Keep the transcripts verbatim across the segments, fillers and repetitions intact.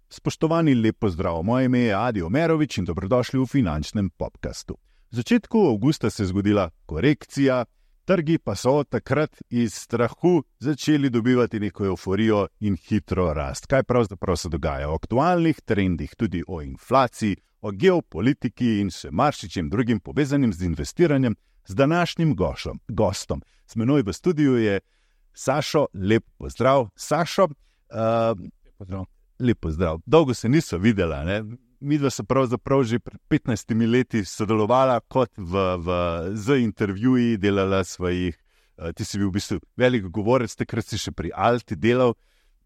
Spoštovani, lep pozdrav. Moje ime je Adi Omerovič in dobrodošli v finančnem podcastu. V začetku avgusta se je zgodila korekcija, trgi pa so takrat iz strahu začeli dobivati neko euforijo in hitro rast. Kaj pravzaprav se dogaja? O aktualnih trendih, tudi o inflaciji, o geopolitiki in še maršičem drugim povezanim z investiranjem z današnjim gošom, gostom. S menoj v studiu je Sašo, lep pozdrav. Sašo, uh, pozdrav. Lep pozdrav. Dolgo se niso videla, ne? Midva se pravzaprav že pred petnajstimi leti sodelovala kot v, v, z intervjuji, delala svojih, uh, ti si bil v bistvu velik govorec, takrat si še pri Alti delal.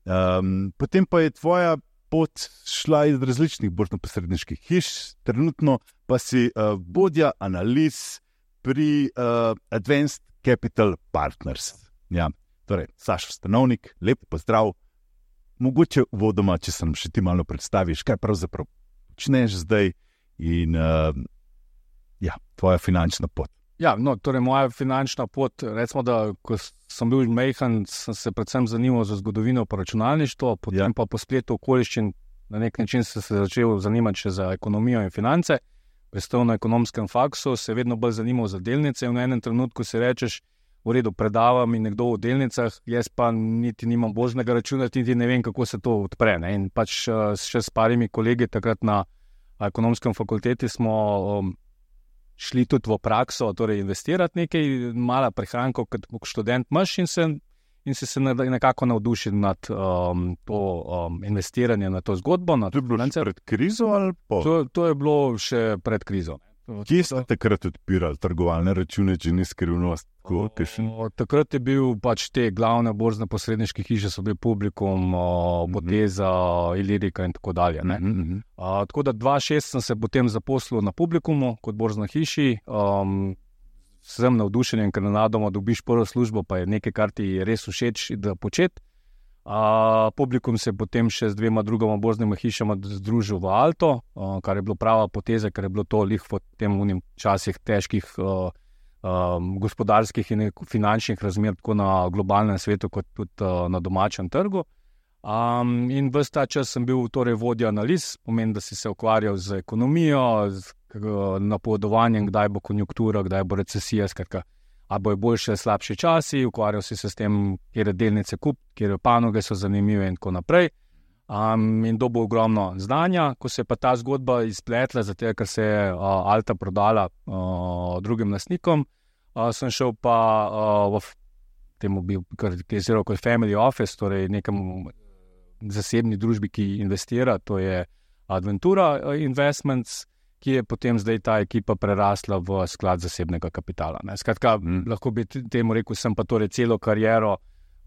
Um, potem pa je tvoja pot šla iz različnih borzno-posredniških hiš, trenutno pa si uh, vodja analiz pri uh, Advanced Capital Partners. Ja, torej, Sašo Stanovnik, lep pozdrav. Mogoče uvodoma, če se nam še ti malo predstaviš, kaj pravzaprav počneš zdaj in uh, ja, tvoja finančna pot. Ja, no, torej moja finančna pot, recimo, da ko sem bil majhen, sem se predvsem zanimal za zgodovino pa računalništvo, potem ja. pa po spletu okoliščin na nek način sem se začel zanimati še za ekonomijo in finance. Prestal na ekonomskem faksu, se vedno bolj zanimal za delnice in v enem trenutku si rečeš, v redu, predavam in nekdo v delnicah, jaz pa niti nimam borznega računa, niti ne vem, kako se to odpre. Ne? In pač še s parimi kolegi takrat na ekonomskem fakulteti smo um, šli tudi v prakso, torej investirati nekaj, mala prihrankov, kot študent imaš in se, in se, se nekako navdušil nad um, to um, investiranje, na to zgodbo. Na to je bilo še pred krizo ali po? To, to je bilo še pred krizo. Kje ste takrat odpirali trgovalne račune, če ni skrivnost? O, o, takrat je bil pač te glavne borzne posredniške hiše, so bili Publikum, Boteza, Ilirika in tako dalje. Ne? Mm-hmm. A, tako da dva tisoč šest sem se potem zaposlil na Publikumu kot borzna hiši. Um, sem navdušen, ker nenadoma dobiš prvo službo, pa je nekaj, kar ti je res všeč da početi. Uh, Publikum se je potem še z dvema drugama borznima hišama združil v Alto, uh, kar je bilo prava poteza, ker je bilo to lih v tem unim časih težkih uh, um, gospodarskih in finančnih razmer, tako na globalnem svetu, kot tudi uh, na domačem trgu. Um, in ves ta čas sem bil torej vodja analiz, pomeni, da si se ukvarjal z ekonomijo, z uh, napovedovanjem, kdaj bo konjunktura, kdaj bo recesija, skratka, a bo je boljše, slabše časi, ukvarjal si se s tem, kjer je delnice kup, kjer je panoge so zanimive in tako naprej. Um, in dobil ogromno znanja, ko se je pa ta zgodba izpletla, zato ker se je uh, Alta prodala uh, drugim lastnikom, uh, sem šel pa uh, v temu bil, kar je zelo kot family office, torej nekem zasebni družbi, ki investira, to je Adventura Investments, ki je potem zdaj ta ekipa prerasla v sklad zasebnega kapitala. Ne. Skratka, mm. lahko bi temu rekel, sem pa torej celo kariero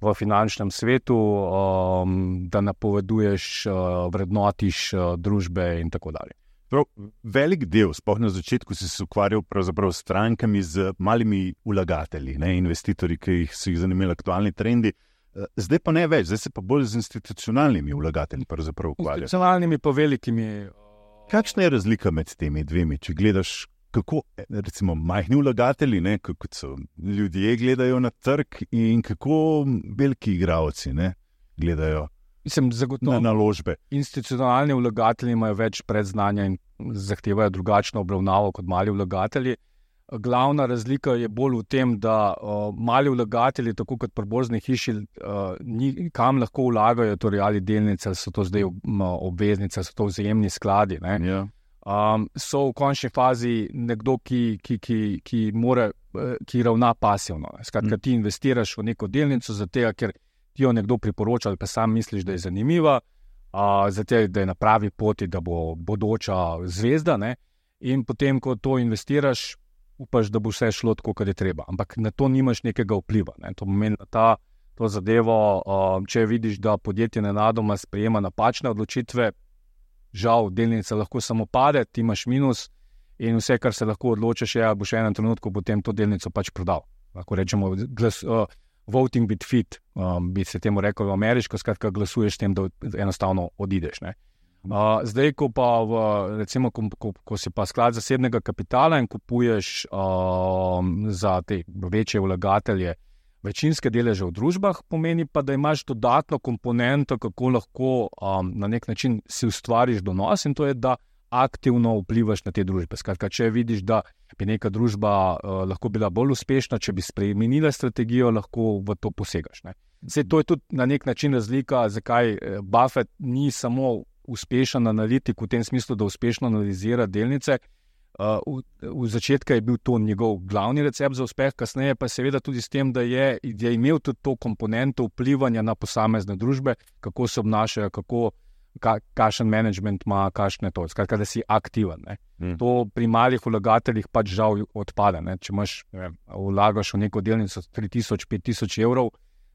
v finančnem svetu, um, da napoveduješ, uh, vrednotiš uh, družbe in tako dalje. Prav, velik del, sploh na začetku si se ukvarjal pravzaprav s strankami, z malimi vlagatelji, ne, investitorji, ki jih so jih zanimali aktualni trendi. Zdaj pa ne več, zdaj se pa bolj z institucionalnimi vlagatelji pravzaprav ukvarjajo. Institucionalnimi pa velikimi. Kakšna je razlika med temi dvemi, če gledaš, kako recimo majhni vlagatelji, ne, kot so ljudje gledajo na trg in kako veliki igralci ne, gledajo Mislim, na naložbe? Institucionalni vlagatelji imajo več predznanja in zahtevajo drugačno obravnavo kot mali vlagatelji. Glavna razlika je bolj v tem, da uh, mali vlagatelji, tako kot pri borzni hiši, uh, ni, kam lahko vlagajo, torej ali delnice, ali so to zdaj obveznice, ali so to vzajemni skladi. Ne? Yeah. Um, so v končni fazi nekdo, ki, ki, ki, ki, more, ki ravna pasivno. Skratka, mm. ti investiraš v neko delnico, zato ker ti jo nekdo priporoča, ali pa sam misliš, da je zanimiva, uh, zato da je na pravi poti, da bo bodoča zvezda. Ne? In potem, ko to investiraš, upaš, da bo vse šlo tako, kot je treba. Ampak na to nimaš nekega vpliva. Ne. To pomeni, da ta, to zadevo, uh, če vidiš, da podjetje nenadoma sprejema napačne odločitve, žal, delnica lahko samo pade, ti imaš minus in vse, kar se lahko odločiš, je, bo še enem trenutku potem to delnico pač prodal. Lahko rečemo, glas, uh, voting with feet, um, bi se temu rekel v ameriško, skratka glasuješ s tem, da enostavno odideš. Ne. Uh, zdaj, ko pa v, recimo, ko, ko, ko si pa sklad zasebnega kapitala in kupuješ uh, za te večje vlagatelje večinske deleže v družbah, pomeni pa, da imaš dodatno komponento, kako lahko um, na nek način si ustvariš donos, in to je, da aktivno vplivaš na te družbe. Skratka, če vidiš, da bi neka družba uh, lahko bila bolj uspešna, če bi spremenila strategijo, lahko v to posegaš. Ne? Zdaj, to je tudi na nek način razlika, zakaj Buffett ni samo uspešen analitik v tem smislu, da uspešno analizira delnice. Uh, v, v začetku je bil to njegov glavni recept za uspeh, kasneje pa seveda tudi s tem, da je, je imel tudi to komponento vplivanja na posamezne družbe, kako se obnašajo, kako, ka, kakšen management ima, kakšne to, skratka, da si aktiven. Mm. To pri malih vlagateljih pač žal odpade. Ne? Če imaš, ne vem, vlagaš v neko delnico tri tisoč, pet tisoč evrov,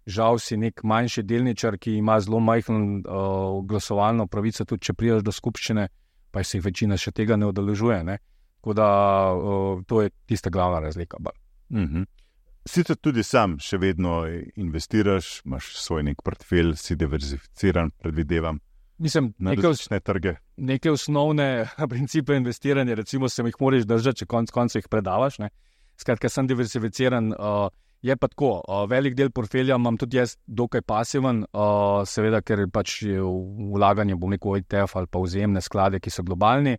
žal si nek manjši delničar, ki ima zelo majhen uh, glasovalno pravico, tudi če prideš do skupščine, pa se jih večina še tega ne udeležuje. Ne? Tako da uh, to je tista glavna razlika. Mm-hmm. Sicer tudi sam še vedno investiraš, imaš svoj nek portfelj, si diverzificiran, predvidevam. Mislim, na različne trge. Neke osnovne principe investiranja, recimo, se jih moraš držati, če konc koncev jih predavaš. Ne? Skratka, sem diversificiran. Uh, je pa tako, uh, velik del portfelja imam tudi jaz dokaj pasiven, uh, seveda, ker pač vlaganje, bom rekel, E T F ali pa vzajemne sklade, ki so globalni.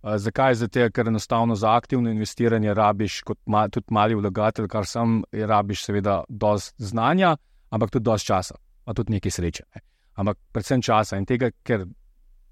Uh, zakaj? Zato, ker enostavno za aktivno investiranje rabiš, kot ma, tudi mali vlagatelj, kar sem, rabiš seveda dosti znanja, ampak tudi dosti časa, pa tudi nekaj sreče. Ne? Ampak predvsem časa in tega, ker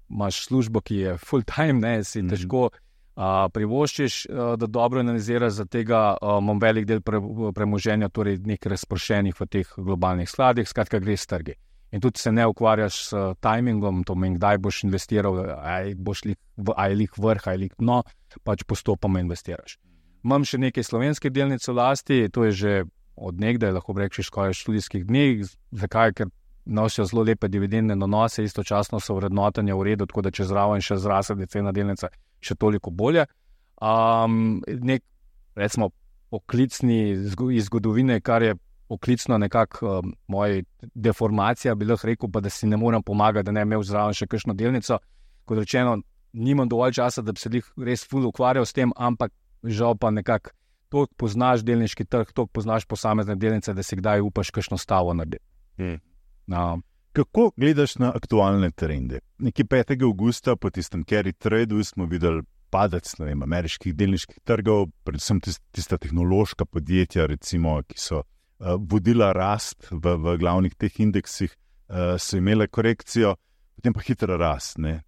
imaš službo, ki je full time, ne, si mm-hmm. težko uh, privoščiš, uh, da dobro analiziraš, za tega uh, imam velik del pre, premoženja, torej nekaj razpršenih v teh globalnih skladih, skratka greš s trgi. In tudi se ne ukvarjaš s uh, timingom, to meni, kdaj boš investiral, aj boš lik, aj lik vrh, aj lik dno, pač postopoma investiraš. Imam še nekaj slovenskih delnic v lasti, to je že od nekdaj, lahko rečeš, skoraj študijskih dneh. Zakaj? Ker nosijo zelo lepe dividendne donose, istočasno so vrednotenja v redu, tako da če zraven še zraste cena delnice, še toliko bolje. Um, nek, recimo, poklicni iz zgodovine, kar je poklicno nekako um, moja deformacija, bi lahko rekel, pa da si ne morem pomagati, da ne imel zraven še kakšno delnico. Kot rečeno, nimam dovolj časa, da bi se res ful ukvarjal s tem, ampak žal pa nekako toliko poznaš delniški trg, toliko poznaš posamezne delnice, da si kdaj upaš kakšno stavo narediti. Hmm. No. Kako gledaš na aktualne trende? Nekje petega avgusta po tistem carry tradu smo videli padec, ne vem, ameriških delniških trgov, predvsem tista tehnološka podjetja, recimo, ki so uh, vodila rast v, v glavnih teh indeksih, uh, so imele korekcijo, potem pa hitra rast, ne?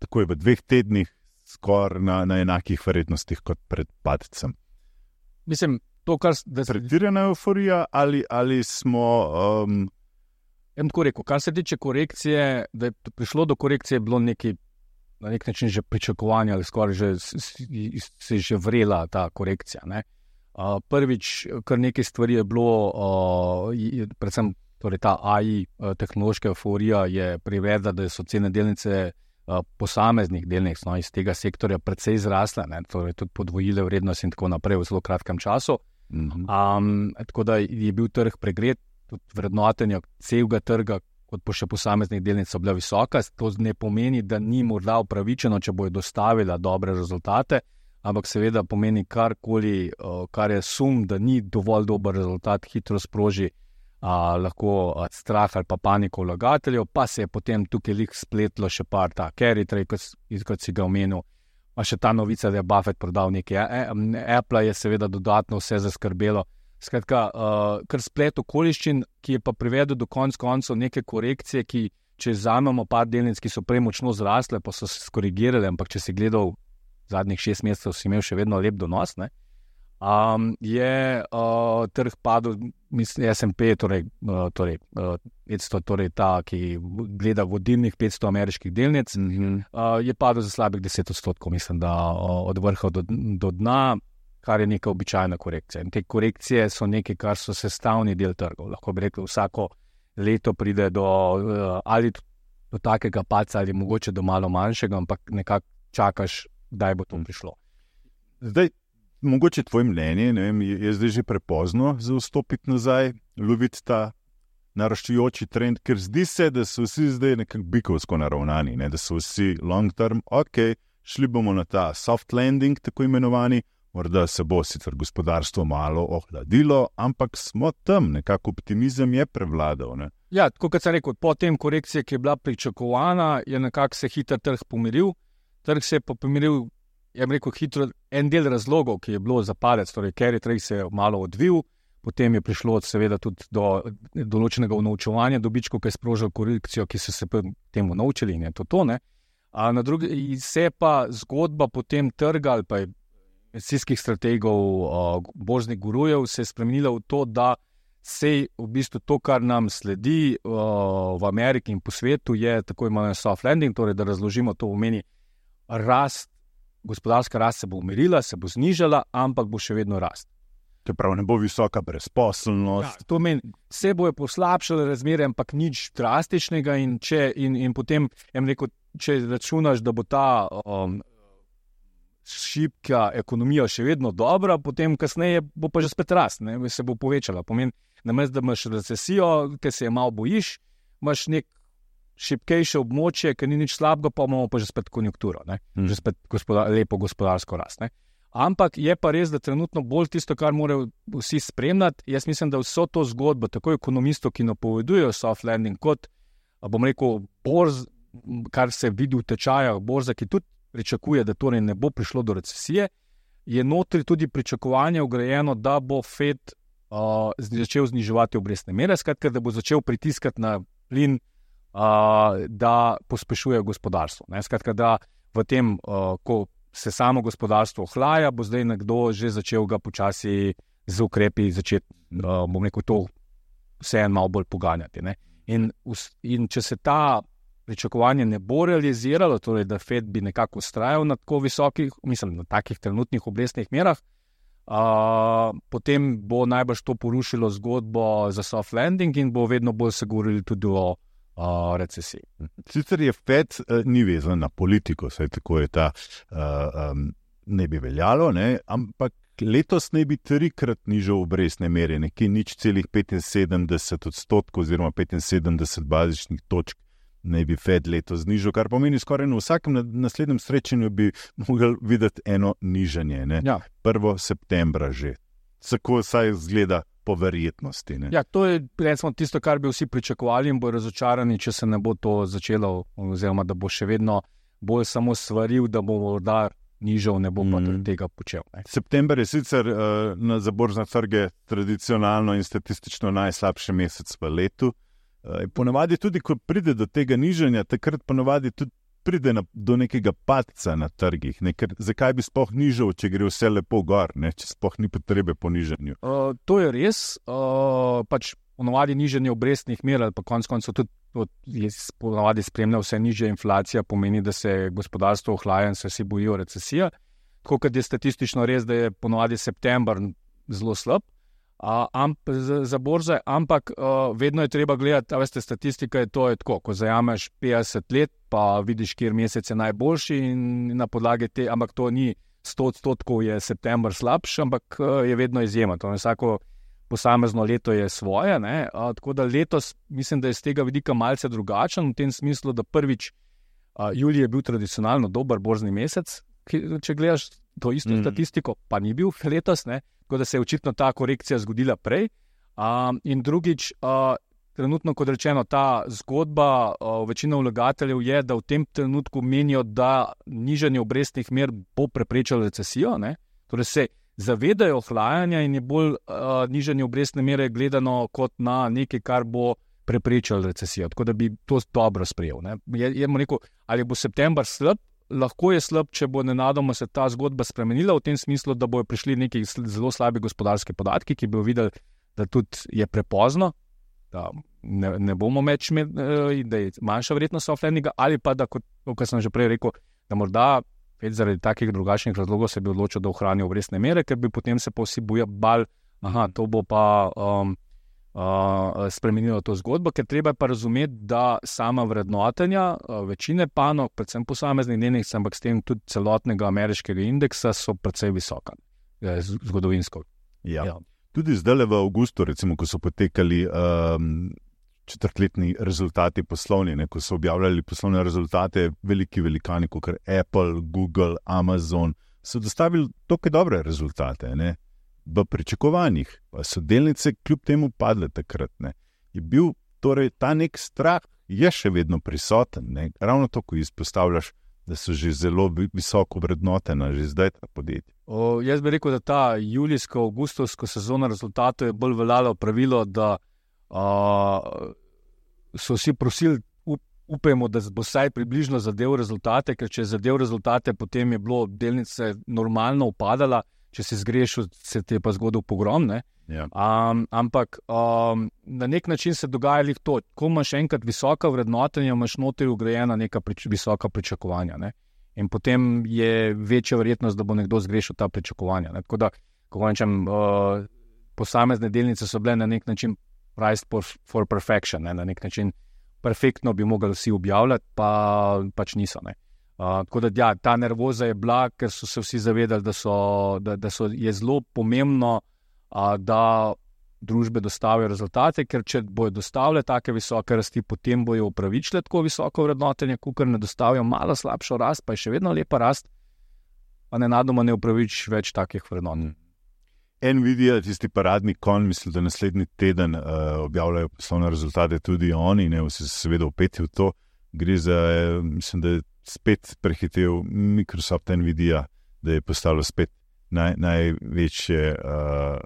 Takoj v dveh tednih, skoraj na, na enakih verjetnostih kot pred padcem. Mislim, to, kar... Pretirana euforija ali, ali smo... Um, Jem tako rekel, kar se tiče korekcije, da je prišlo do korekcije, je bilo neki, na nek način že pričakovanje ali skoraj že, se je že vrela ta korekcija. Ne? Uh, prvič, kar nekaj stvari je bilo, uh, predvsem torej ta A I, uh, tehnološka euforija je privedla, da so cene delnice uh, posameznih delnic, no, iz tega sektorja precej zrasle, ne? Torej tudi podvojile vrednost in tako naprej v zelo kratkem času. Mm-hmm. Um, tako da je bil trg pregret, vrednotenja celega trga, kot pa še posameznih delnic so bila visoka. To ne pomeni, da ni morda upravičeno, če bojo dostavila dobre rezultate, ampak seveda pomeni karkoli, kar je sum, da ni dovolj dober rezultat, hitro sproži a, lahko a, strah ali pa paniko vlagateljev, pa se je potem tukaj lik spletlo še par ta carry trade, kot, kot si ga omenil, pa še ta novica, da je Buffett prodal nekaj. Apple je seveda dodatno vse zaskrbelo. Skratka, uh, kar splet okoliščin, ki je pa privedel do konc koncev neke korekcije, ki, če vzamemo par delnic, ki so prej močno zrasle, pa so se skorigirale, ampak če si gledal zadnjih šest mesecev, si imel še vedno lep donos, ne? Um, je uh, trg padel, mislim, S and P, torej, uh, torej, uh, petsto, torej ta, ki gleda vodilnih petsto ameriških delnic, mm-hmm. uh, je padel za slabih deset odstotkov, mislim, da uh, od vrha do, do dna, kar je neka običajna korekcija. In te korekcije so nekaj, kar so sestavni del trgov. Lahko bi rekel, vsako leto pride do ali do takega padca, ali mogoče do malo manjšega, ampak nekako čakaš, kdaj bo to prišlo. Zdaj, mogoče tvoje mnenje, ne vem, je zdaj že prepozno za vstopiti nazaj, loviti ta naraščujoči trend, ker zdi se, da so vsi zdaj nekako bikovsko naravnani, ne? Da so vsi long term, ok, šli bomo na ta soft landing, tako imenovani, morda se bo sicer gospodarstvo malo ohladilo, ampak smo tam, nekako optimizem je prevladal. Ne? Ja, tako kot sem rekel, po tem korekcije, ki je bila pričakovana, je nekako se hiter trg pomiril. Trg se je pa pomiril, je rekel, hitro, en del razlogov, ki je bilo za padec, torej carry trade se je malo odvil, potem je prišlo seveda tudi do določenega unovčevanja dobičkov, ki je sprožil korekcijo, ki so se temu naučili in je to to, ne. A na drugi se pa zgodba potem trga ali pa investicijskih strategov, borznih gurujev se je spremenila v to, da se v bistvu to, kar nam sledi v Ameriki in po svetu, je tako imenovan soft landing, torej da razložimo, to pomeni rast, gospodarska rast se bo umirila, se bo znižala, ampak bo še vedno rast. To prav, ne bo visoka brezposelnost. Ja, to meni, se bojo poslabšale razmere, ampak nič drastičnega in, če, in, in potem, rekel, če računaš, da bo ta um, šibka ekonomija še vedno dobra, potem kasneje bo pa že spet rast, ne, se bo povečala. Pomeni, namesto da imaš recesijo, ki se je malo bojiš, imaš nek šibkejše območje, ki ni nič slabega, pa imamo pa že spet konjunkturo, ne, hmm. že spet gospodar, lepo gospodarsko rast, ne. Ampak je pa res, da trenutno bolj tisto, kar morajo vsi spremljati. Jaz mislim, da vso to zgodbo, tako ekonomistov, ki napovedujejo soft landing, kot, bom rekel, borz, kar se vidi v tečajah, borza, ki tudi pričakuje, da torej ne bo prišlo do recesije, je notri tudi pričakovanje vgrajeno, da bo Fed uh, začel zniževati obrestne mere, skratka, da bo začel pritiskati na plin, uh, da pospešuje gospodarstvo. Ne? Skratka, da v tem, uh, ko se samo gospodarstvo ohlaja, bo zdaj nekdo že začel ga počasi z ukrepi začeti, uh, bom rekel, to vseeno malo bolj poganjati. Ne? In, in če se ta pričakovanje ne bo realiziralo, torej da Fed bi nekako ustrajal na tako visokih, mislim, na takih trenutnih obrestnih merah, uh, potem bo najbrž to porušilo zgodbo za soft landing in bo vedno bolj se govorili tudi o Uh, recesiji. Sicer je Fed uh, ni vezan na politiko, saj tako je ta uh, um, ne bi veljalo, ne? Ampak letos ne bi trikrat nižal obrestne mere, nekje nič celih petinsedemdeset odstotkov oziroma petinsedemdeset bazičnih točk ne bi Fed letos znižal, kar pomeni skoraj na vsakem naslednjem srečanju bi mogli videti eno nižanje, ne? Ja. prvega septembra že. Tako saj izgleda po verjetnosti. Ne? Ja, to je recimo tisto, kar bi vsi pričakovali in bo razočarani, če se ne bo to začelo, oziroma da bo še vedno bolj samo svaril, da bo morda nižal, ne bo pa mm. tega počel. Ne? September je sicer uh, na za borzne trge tradicionalno in statistično najslabši mesec v letu. Uh, ponavadi tudi, ko pride do tega nižanja, takrat ponavadi tudi pride na, do nekega padca na trgih. Ne? Ker zakaj bi sploh nižal, če gre vse lepo gor, ne? Če sploh ni potrebe po nižanju? Uh, to je res. Uh, pač ponavadi nižanje obrestnih mer, ali pa konec koncev tudi ponavadi spremlja vse nižja inflacija, pomeni, da se gospodarstvo ohlaja in se vsi bojijo recesija. Tako kot je statistično res, da je ponavadi september zelo slab, Uh, amp, za, za borze, ampak uh, vedno je treba gledati, a veste, statistika je to, je tako, ko zajameš petdeset let, pa vidiš, kjer mesec je najboljši in na podlagi te, ampak to ni sto odstotkov je september slabši, ampak uh, je vedno izjema. To vsako posamezno leto je svoje, ne? Uh, tako da letos mislim, da je z tega vidika malce drugačen, v tem smislu, da prvič uh, julij je bil tradicionalno dober borzni mesec, ki, če gledaš to isto mm. statistiko, pa ni bil letos, ne? Tako da se je očitno ta korekcija zgodila prej. Um, in drugič, uh, trenutno, kot rečeno, ta zgodba uh, večina vlagateljev je, da v tem trenutku menijo, da nižanje obrestnih mer bo preprečilo recesijo. Ne? Torej se zavedajo ohlajanja in je bolj uh, nižanje obrestne mere gledano kot na nekaj, kar bo preprečilo recesijo. Tako da bi to dobro sprejel. Ne? Je, je rekel, ali bo september slab? Lahko je slab, če bo nenadoma se ta zgodba spremenila v tem smislu, da bojo prišli neki zelo slabi gospodarski podatki, ki bojo videli, da tudi je prepozno, da ne, ne bomo več imeli, da je manjša vrednost soft landinga, ali pa da, kot, kot sem že prej rekel, da morda zaradi takih drugačnih razlogov se bi odločil, da ohranijo obrestne mere, ker bi potem se pa vsi boja bal, aha, to bo pa um, uh, spremenilo to zgodbo, ker treba pa razumeti, da sama vrednotenja uh, večine panog, predvsem posameznih delnic, ampak s tem tudi celotnega ameriškega indeksa so precej visoka, eh, zgodovinsko. Ja. Ja. Tudi zdaj v avgustu, recimo, ko so potekali um, četrtletni rezultati poslovni, ne, ko so objavljali poslovne rezultate veliki velikani, kot Apple, Google, Amazon, so dostavili toliko dobre rezultate, ne, v pričakovanjih, pa so delnice kljub temu padle takrat, ne. Je bil torej ta nek strah, je še vedno prisoten, ne, ravno to, ko izpostavljaš, da so že zelo visoko vrednotena, že zdaj ta podjetja. O, jaz bi rekel, da ta julijsko-augustovsko sezono rezultatov je bolj veljalo pravilo, da a, so vsi prosili, up, upajmo, da bo vsaj približno zadev rezultate, ker če je zadev rezultate, potem je bilo delnice normalno upadala, če si zgrešil, se ti je pa zgodil pogrom, ne? Ja. Um, ampak um, na nek način se dogaja lih to, ko imaš enkrat visoka vrednotenja, imaš notri ugrajena neka prič, visoka pričakovanja, ne? In potem je večja verjetnost, da bo nekdo zgrešil ta pričakovanja, ne? Tako da, ko rečem, uh, posamezne delnice so bile na nek način priced for, for perfection, ne? Na nek način perfektno bi mogli vsi objavljati, pa pač niso, ne? Uh, tako da, ja, ta nervoza je bila, ker so se vsi zavedali, da, so, da, da so, je zelo pomembno, uh, da družbe dostavijo rezultate, ker če bojo dostavile take visoke rasti, potem bojo upravičile tako visoko vrednotenje, kakor ne dostavijo malo slabšo rast, pa je še vedno lepa rast, pa nenadoma ne upravič več takih vrednot. Nvidia, tisti paradni konj, mislim, da naslednji teden uh, objavljajo poslovne rezultate tudi oni, ne, vsi se seveda upeti v to, gre za, mislim, da je spet prehitev Microsoft Nvidia, da je postalo spet naj, največje uh,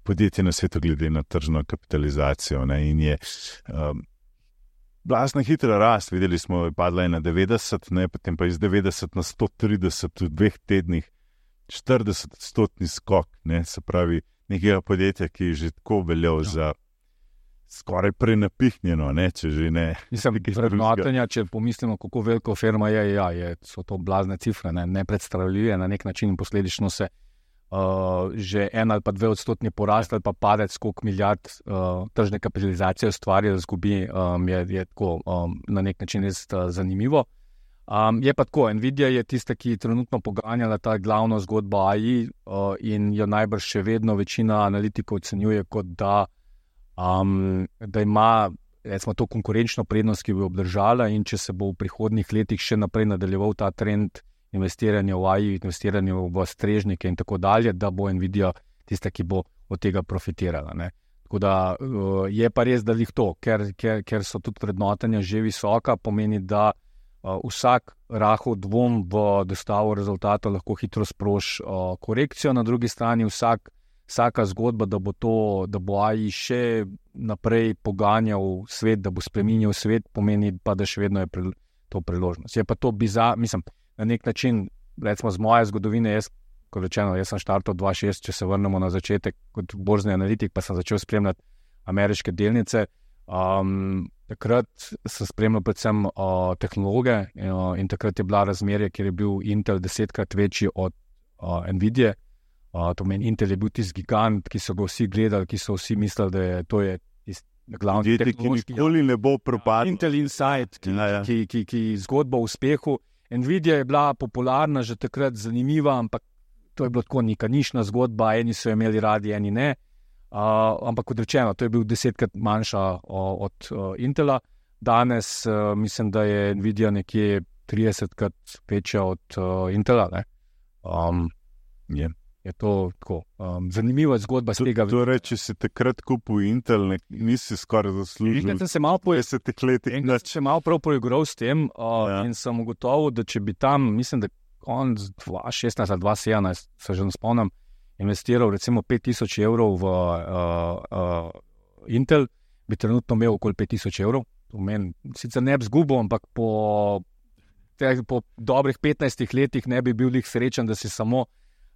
podjetje na svetu glede na tržno kapitalizacijo, ne, in je um, blazna hitra rast, videli smo, je padla je na devetdeset, ne, potem pa iz devetdeset na sto trideset v dveh tednih, štirideset odstotni skok, ne, se pravi nekega podjetja, ki je že tako veljal ja. za skoraj prenapihnjeno, ne, če že ne. Mislim, vrednotenja, če pomislimo, kako veliko firma je, ja, je, so to blazne cifre, ne, nepredstavljive na nek način, posledično se uh, že en ali pa dve odstotni porast ali pa padec skok milijard uh, tržne kapitalizacije ustvari, da zgubi, um, je, je tako um, na nek način res uh, zanimivo. Um, je pa tako, Nvidia je tista, ki je trenutno poganjala ta glavno zgodbo A I uh, in jo najbrž še vedno večina analitikov ocenjuje kot da Um, da ima, recimo, to konkurenčno prednost, ki bi obdržala, in če se bo v prihodnjih letih še naprej nadaljeval ta trend investiranja v A I, investiranja v strežnike in tako dalje, da bo Nvidia tista, ki bo od tega profitirala, ne. Tako da uh, je pa res, da lih to, ker, ker, ker so tudi vrednotenja že visoka, pomeni, da uh, vsak rahel dvom v dostavo rezultatov lahko hitro sproži uh, korekcijo, na drugi strani vsak Vsaka zgodba, da bo to, da bo A I še naprej poganjal svet, da bo spreminjal svet, pomeni pa, da še vedno je pri, to priložnost. Je pa to bizar, mislim, na nek način, recimo z moje zgodovine, jaz, kot rečeno, jaz sem štartal dva tisoč šest, če se vrnemo na začetek kot borzni analitik, pa sem začel spremljati ameriške delnice. Um, takrat sem spremljal predvsem uh, tehnologe uh, in takrat je bila razmerje, kjer je bil Intel desetkrat večji od uh, Nvidia. Uh, to meni, Intel je bil tisti gigant, ki so ga vsi gledali, ki so vsi mislili, da je to je glavni tehnološki. Nikoli ne bo propadlo. Intel Insight, ki, ja, ja. ki, ki, ki zgodba o uspehu. Nvidia je bila popularna že takrat, zanimiva, ampak to je bilo tako neka nišna zgodba, eni so imeli radi, eni ne. Uh, ampak kot rečeno, to je bil desetkrat manjša uh, od uh, Intela. Danes uh, mislim, da je Nvidia nekje tridesetkrat večja od uh, Intela. Ne? Um, yeah. Je to tako um, zanimiva zgodba z tega. Torej, če si takrat kupil Intel, ne, nisi skoraj zaslužil. Enkrat sem se malo, malo prav poigral s tem uh, ja. in sem ugotovil, da če bi tam, mislim, da konc dva tisoč šestnajst ali dva tisoč sedemnajst, se že ne spomnim, investiral recimo pet tisoč evrov v uh, uh, Intel, bi trenutno imel okoli pet tisoč evrov. To meni sicer ne bi zgubil, ampak po, te, po dobrih petnajstih letih ne bi bil lih srečen, da si samo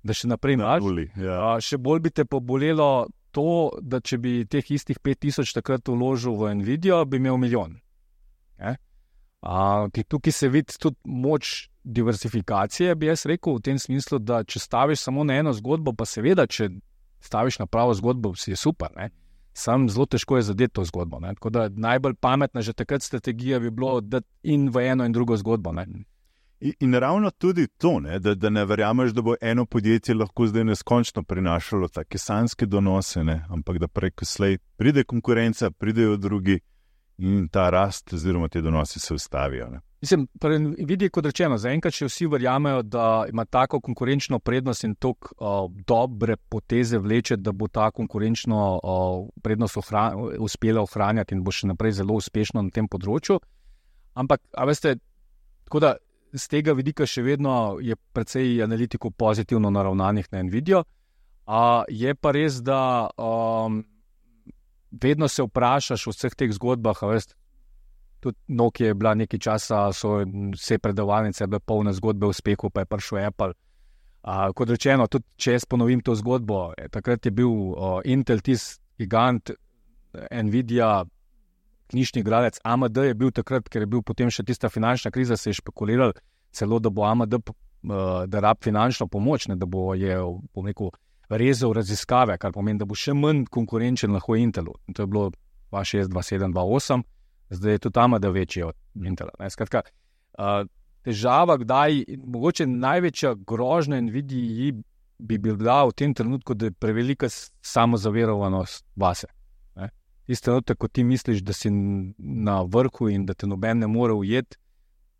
da še naprej imaš. Ja. Še bolj bi te pobolelo to, da če bi teh istih pet tisoč takrat vložil v Nvidia, bi imel milijon. A, tukaj se vidi tudi moč diversifikacije, bi jaz rekel, v tem smislu, da če staviš samo na eno zgodbo, pa seveda, če staviš na pravo zgodbo, si je super, ne? Sam zelo težko je zadeti to zgodbo. Ne? Tako da najbolj pametna že takrat strategija bi bilo, da in v eno in drugo zgodbo. Ne? In, in ravno tudi to, ne, da, da ne verjameš, da bo eno podjetje lahko zdaj neskončno prinašalo take sanjske donose, ne, ampak da preko slej pride konkurenca, pridejo drugi in ta rast oziroma te donosi se ustavijo. Ne? Mislim, vidi, kot rečeno, zaenkrat še vsi verjamejo, da ima tako konkurenčno prednost in tako uh, dobre poteze vleče, da bo ta konkurenčno uh, prednost ohran, uspela ohranjati in bo še naprej zelo uspešno na tem področju. Ampak, a veste, tako da z tega vidika še vedno je precej analitikov pozitivno naravnanih na Nvidio. Uh, je pa res, da um, vedno se vprašaš v vseh teh zgodbah, a veste, tudi Nokia je bila nekaj časa, so vse predavalnice bile polne zgodbe o uspehu, pa je prišel Apple. Uh, kot rečeno, tudi če jaz ponovim to zgodbo, je, takrat je bil uh, Intel tisti gigant, Nvidia, knjižni igralec, A M D je bil takrat, ker je bil potem še tista finančna kriza, se je špekuliral celo, da bo A M D, uh, da rab finančno pomoč, ne, da bo je, bom rekel, rezal raziskave, kar pomeni, da bo še manj konkurenčen lahko Intelu. In to je bilo dva šest, dva sedem, dva osem. Zdaj je tudi tam, da večji od Intela. Skratka, uh, težava, kdaj, mogoče največja grožnja Nvidii bi bila v tem trenutku, da je prevelika samozaverovanost vase. Tisti trenutek, ko ti misliš, da si na vrhu in da te noben ne more ujeti,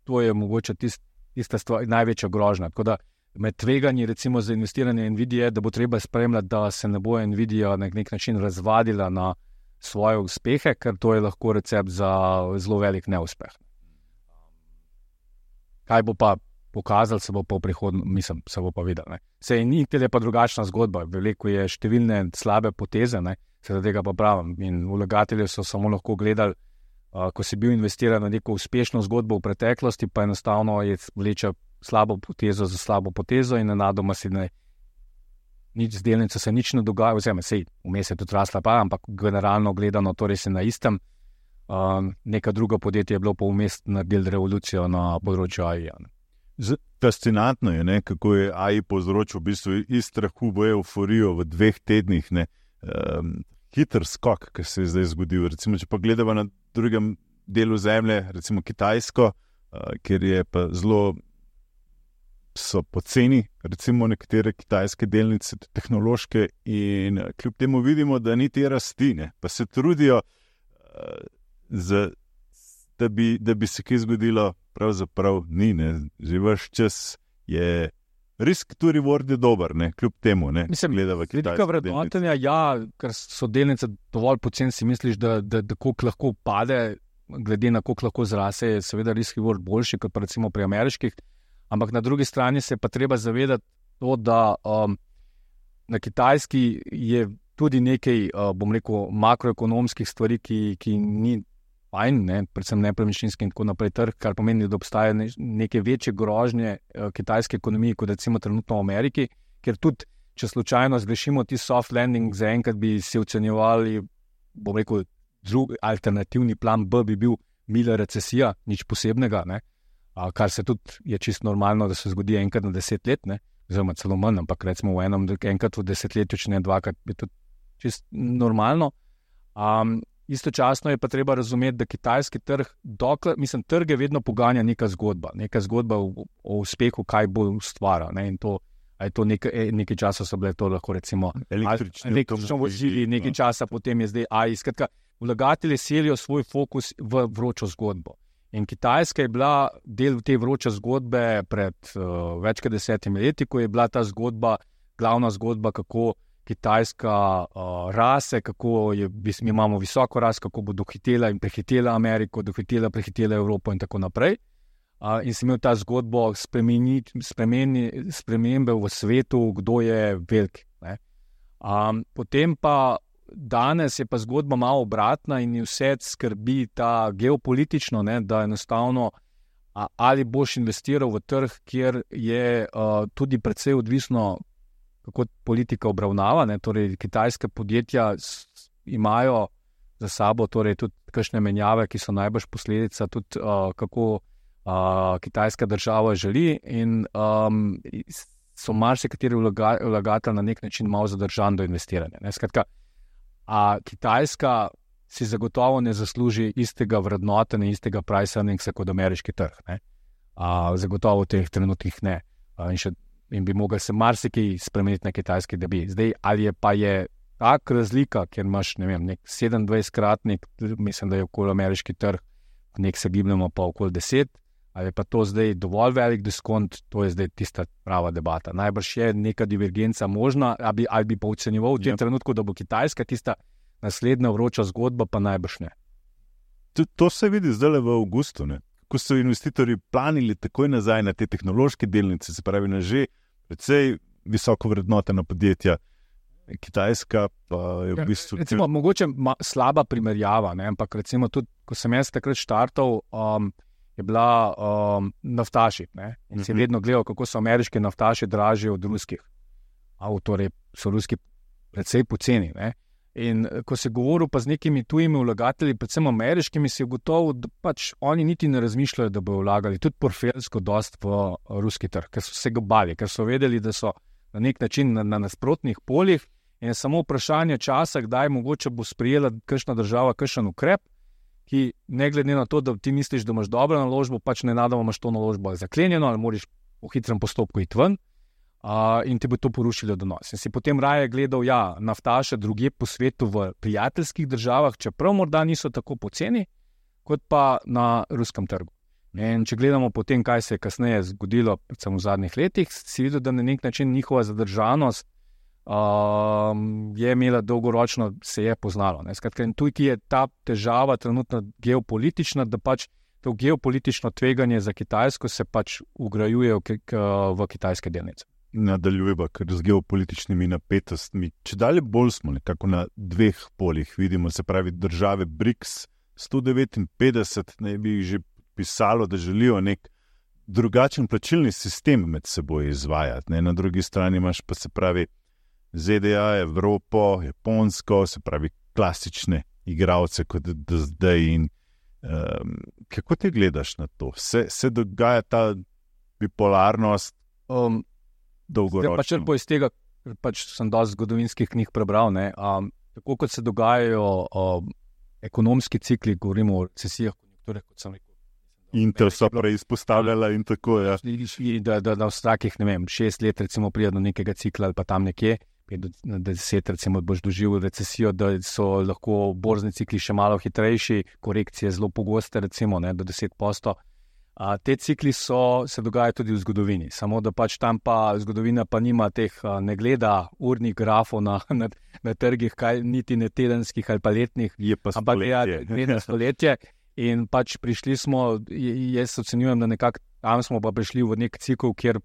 to je mogoče tist, tista stvar, največja grožnja. Tako da med tveganji recimo za investiranje Nvidije, da bo treba spremljati, da se ne bo Nvidia na nek način razvadila na svoje uspehe, ker to je lahko recept za zelo velik neuspeh. Kaj bo pa pokazal, se bo pa v prihodnjem, mislim, se bo pa videl. Ne. Se in Intel je pa drugačna zgodba, veliko je številne slabe poteze, ne, se da tega pa pravim. In vlagatelji so samo lahko gledali, uh, ko si bil investiran na neko uspešno zgodbo v preteklosti, pa enostavno je vleče slabo potezo za slabo potezo in nenadoma si ne nič z delnico se nič ne dogaja, oziroma sej, vmes je tudi rasla pa, ampak generalno gledano, torej se na istem, uh, neka druga podjetja je bilo pa vmes naredili revolucijo na področju A I. Z, fascinantno je, ne, kako je A I povzročil v bistvu iz strahu v euforijo v dveh tednih, ne, um, hiter skok, ki se je zdaj zgodil. Recimo, če pa gledamo na drugem delu zemlje, recimo Kitajsko, uh, kjer je pa zelo so poceni, recimo nekatere kitajske delnice, tehnološke, in kljub temu vidimo, da ni te rasti, ne, pa se trudijo, uh, za, da, bi, da bi se kaj zgodilo, pravzaprav ni, ne, že vaš čas je risk to reward je dober, ne, kljub temu, ne, mislim, gledava kitajske vrednotenja, ja, ker so delnice dovolj poceni, si misliš, da, da, da koliko lahko pade, glede na koliko lahko zrase, je seveda risk reward boljši, kot pa recimo pri ameriških. Ampak na drugi strani se pa treba zavedati to, da um, na Kitajski je tudi nekaj, uh, bom rekel, makroekonomskih stvari, ki, ki ni fajn, ne, predvsem nepremičninski in tako naprej trg, kar pomeni, da obstaja ne, neke večje grožnje uh, kitajske ekonomije, kot recimo trenutno v Ameriki, ker tudi, če slučajno zgrešimo ti soft landing, zaenkrat bi si ocenjevali, bom rekel, drug alternativni plan B bi bil mila recesija, nič posebnega, ne. A, kar se tudi je čisto normalno, da se zgodi enkrat na deset let, ne, oziroma celo manj, ampak recimo v enem, enkrat v desetletju, če ne dvakrat, je tudi čisto normalno. Um, istočasno je pa treba razumeti, da kitajski trg, dokler, mislim, trge vedno poganja neka zgodba, neka zgodba o, o uspehu, kaj bo ustvarjal, ne, in to, a je to nekaj, nekaj časa so bile to lahko recimo električno vozili, nekaj časa potem je zdaj A I, skratka, vlagatelji selijo svoj fokus v vročo zgodbo. In Kitajska je bila del te vroče zgodbe pred uh, več kot desetimi leti, ko je bila ta zgodba, glavna zgodba, kako Kitajska uh, rase, kako je, mi imamo visoko rast, kako bo dohitela in prehitela Ameriko, dohitela, prehitela Evropo in tako naprej. Uh, in si imel ta zgodbo spremeni, spremeni, spremembe v svetu, kdo je velik. Ne? Um, potem pa danes je pa zgodba malo obratna in vse skrbi ta geopolitično, ne, da enostavno a, ali boš investiral v trg, kjer je uh, tudi precej odvisno, kako politika obravnava, ne, torej kitajske podjetja s, imajo za sabo torej tudi kakšne menjave, ki so najbrž posledica tudi uh, kako uh, kitajska država želi in um, so marsikateri vlaga, vlagatelj na nek način malo zadržan do investiranja. Ne, skratka, a Kitajska si zagotovo ne zasluži istega vrednotenja, istega price earningsa kot ameriški trg. Ne? A, zagotovo v teh trenutkih ne. A, in, še, in bi mogel se marsikaj spremeniti na Kitajski, da bi. Zdaj, ali je pa je tak razlika, ker imaš, ne vem, nek sedemindvajsetkratnik, mislim, da je okoli ameriški trg, nek se gibljamo pa okoli deset, ali pa to zdaj dovolj velik diskont, to je zdaj tista prava debata. Najbrž je neka divergenca možna, ali bi, ali bi pa ocenjeval v tem yep. trenutku, da bo Kitajska tista naslednja vroča zgodba, pa najbrž ne. To, to se vidi zdaj v avgustu, ne? Ko so investitorji planili takoj nazaj na te tehnološke delnice, se pravi na že precej visoko vrednotena podjetja. Kitajska pa je v bistvu... Recimo, mogoče ma, slaba primerjava, ne? Ampak recimo tudi, ko sem jaz takrat štartal, um, je bila um, naftaši, ne? In uh-huh. si vedno gledal, kako so ameriški naftaši dražji od ruskih. Avtori so ruski precej poceni, ne? In ko se govoril pa z nekimi tujimi vlagatelji, predvsem ameriškimi, si je gotovo, da pač oni niti ne razmišljajo, da bojo vlagali tudi portfeljsko dost v ruski trg, ker so se ga bali, ker so vedeli, da so na nek način na, na nasprotnih poljih in je samo vprašanje časa, kdaj mogoče bo sprejela kakšna država kakšen ukrep, ki ne glede na to, da ti misliš, da imaš dobro naložbo, pač nenadoma imaš to naložbo zaklenjeno ali moraš v hitrem postopku iti ven. Uh, in ti bo to porušilo donos. In si potem raje gledal, ja, naftaše drugje po svetu v prijateljskih državah, čeprav morda niso tako poceni, kot pa na ruskem trgu. In če gledamo potem, kaj se je kasneje zgodilo, predvsem v zadnjih letih, si videl, da na nek način njihova zadržanost uh, je imela dolgoročno, se je poznalo. Ne? Skratka, in tukaj je ta težava trenutno geopolitična, da pač to geopolitično tveganje za Kitajsko se pač ugrajuje v, k, v kitajske delnice. Nadaljujeva, ker z geopolitičnimi napetostmi, če dalje bolj smo nekako na dveh poljih, vidimo, se pravi države BRICS, sto devetinpetdeset naj bi jih že pisalo, da želijo nek drugačen plačilni sistem med seboj izvajati. Ne? Na drugi strani imaš pa se pravi Z D A, Evropo, Japonsko, se pravi klasične igralce kot do zdaj. In, um, kako ti gledaš na to? Se, se dogaja ta bipolarnost? Um, Zdaj pa črpo iz tega, pač sem dosti zgodovinskih knjig prebral, ne, um, tako kot se dogajajo um, ekonomski cikli, govorimo o recesijah, konjunkture, kot sem rekel. Intel so prej izpostavljala in tako, ja. Da, da, da vsakih, ne vem, šest let recimo prije do nekega cikla ali pa tam nekje, pet do deset recimo boš doživel recesijo, da so lahko borzni cikli še malo hitrejši, korekcije zelo pogoste, recimo, ne, do deset posto. A, te cikli so, se dogajajo tudi v zgodovini, samo da pač tam pa zgodovina pa nima teh, a, ne gleda urnih grafov na, na, na trgih, kaj, niti ne tedenskih ali pa letnih, je pa ampak je ja, stoletje in pač prišli smo, jaz ocenjujem, da nekako tam smo pa prišli v nek cikl, kjer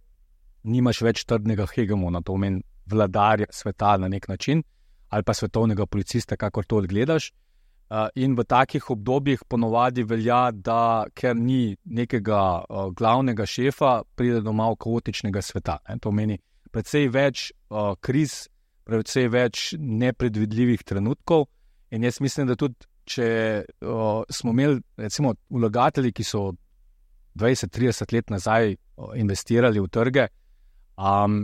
nimaš več trdnega hegemona, to pomeni vladarja sveta na nek način ali pa svetovnega policista, kakor to odgledaš. Uh, in v takih obdobjih ponovadi velja, da ker ni nekega uh, glavnega šefa, pride do malo kaotičnega sveta. Ne? To meni precej več uh, kriz, precej več nepredvidljivih trenutkov in jaz mislim, da tudi, če uh, smo imeli recimo vlagatelji, ki so dvajset trideset let nazaj uh, investirali v trge, um,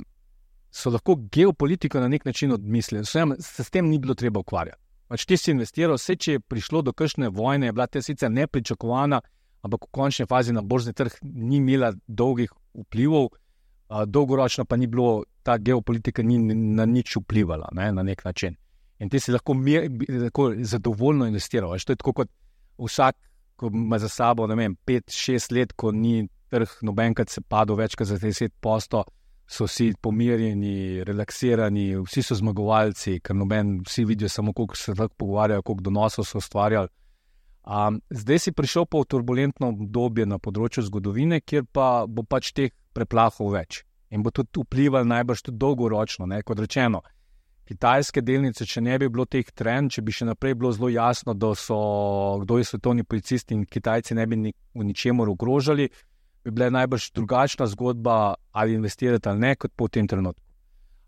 so lahko geopolitiko na nek način odmislili. Se s tem ni bilo treba ukvarjati. Pač ti si investiral, vse, če je prišlo do kakšne vojne, je bila te sicer nepričakovana, ampak v končni fazi na borzni trg ni imela dolgih vplivov, a, dolgoročno pa ni bilo, ta geopolitika ni na nič vplivala, ne, na nek način. In ti si lahko, mir, lahko zadovoljno investiral. Veš, to je tako kot vsak, ko ima za sabo, ne vem, pet šest let, ko ni trg nobenkrat se padel več kot za deset posto, so vsi pomirjeni, relaksirani, vsi so zmagovalci, ker noben, vsi vidijo samo, koliko se lahko pogovarjajo, koliko donosov so ustvarjali. Um, zdaj si prišel pa v turbulentno obdobje na področju zgodovine, kjer pa bo pač teh preplahov več in bo tudi vplival najbrž tudi dolgoročno, ne, kot rečeno. Kitajske delnice, če ne bi bilo teh trend, če bi še naprej bilo zelo jasno, da so, kdo je svetovni policist in Kitajci ne bi ni, v ničemur ogrožali, bi bila najbrž drugačna zgodba, ali investirati ali ne, kot po tem trenutku.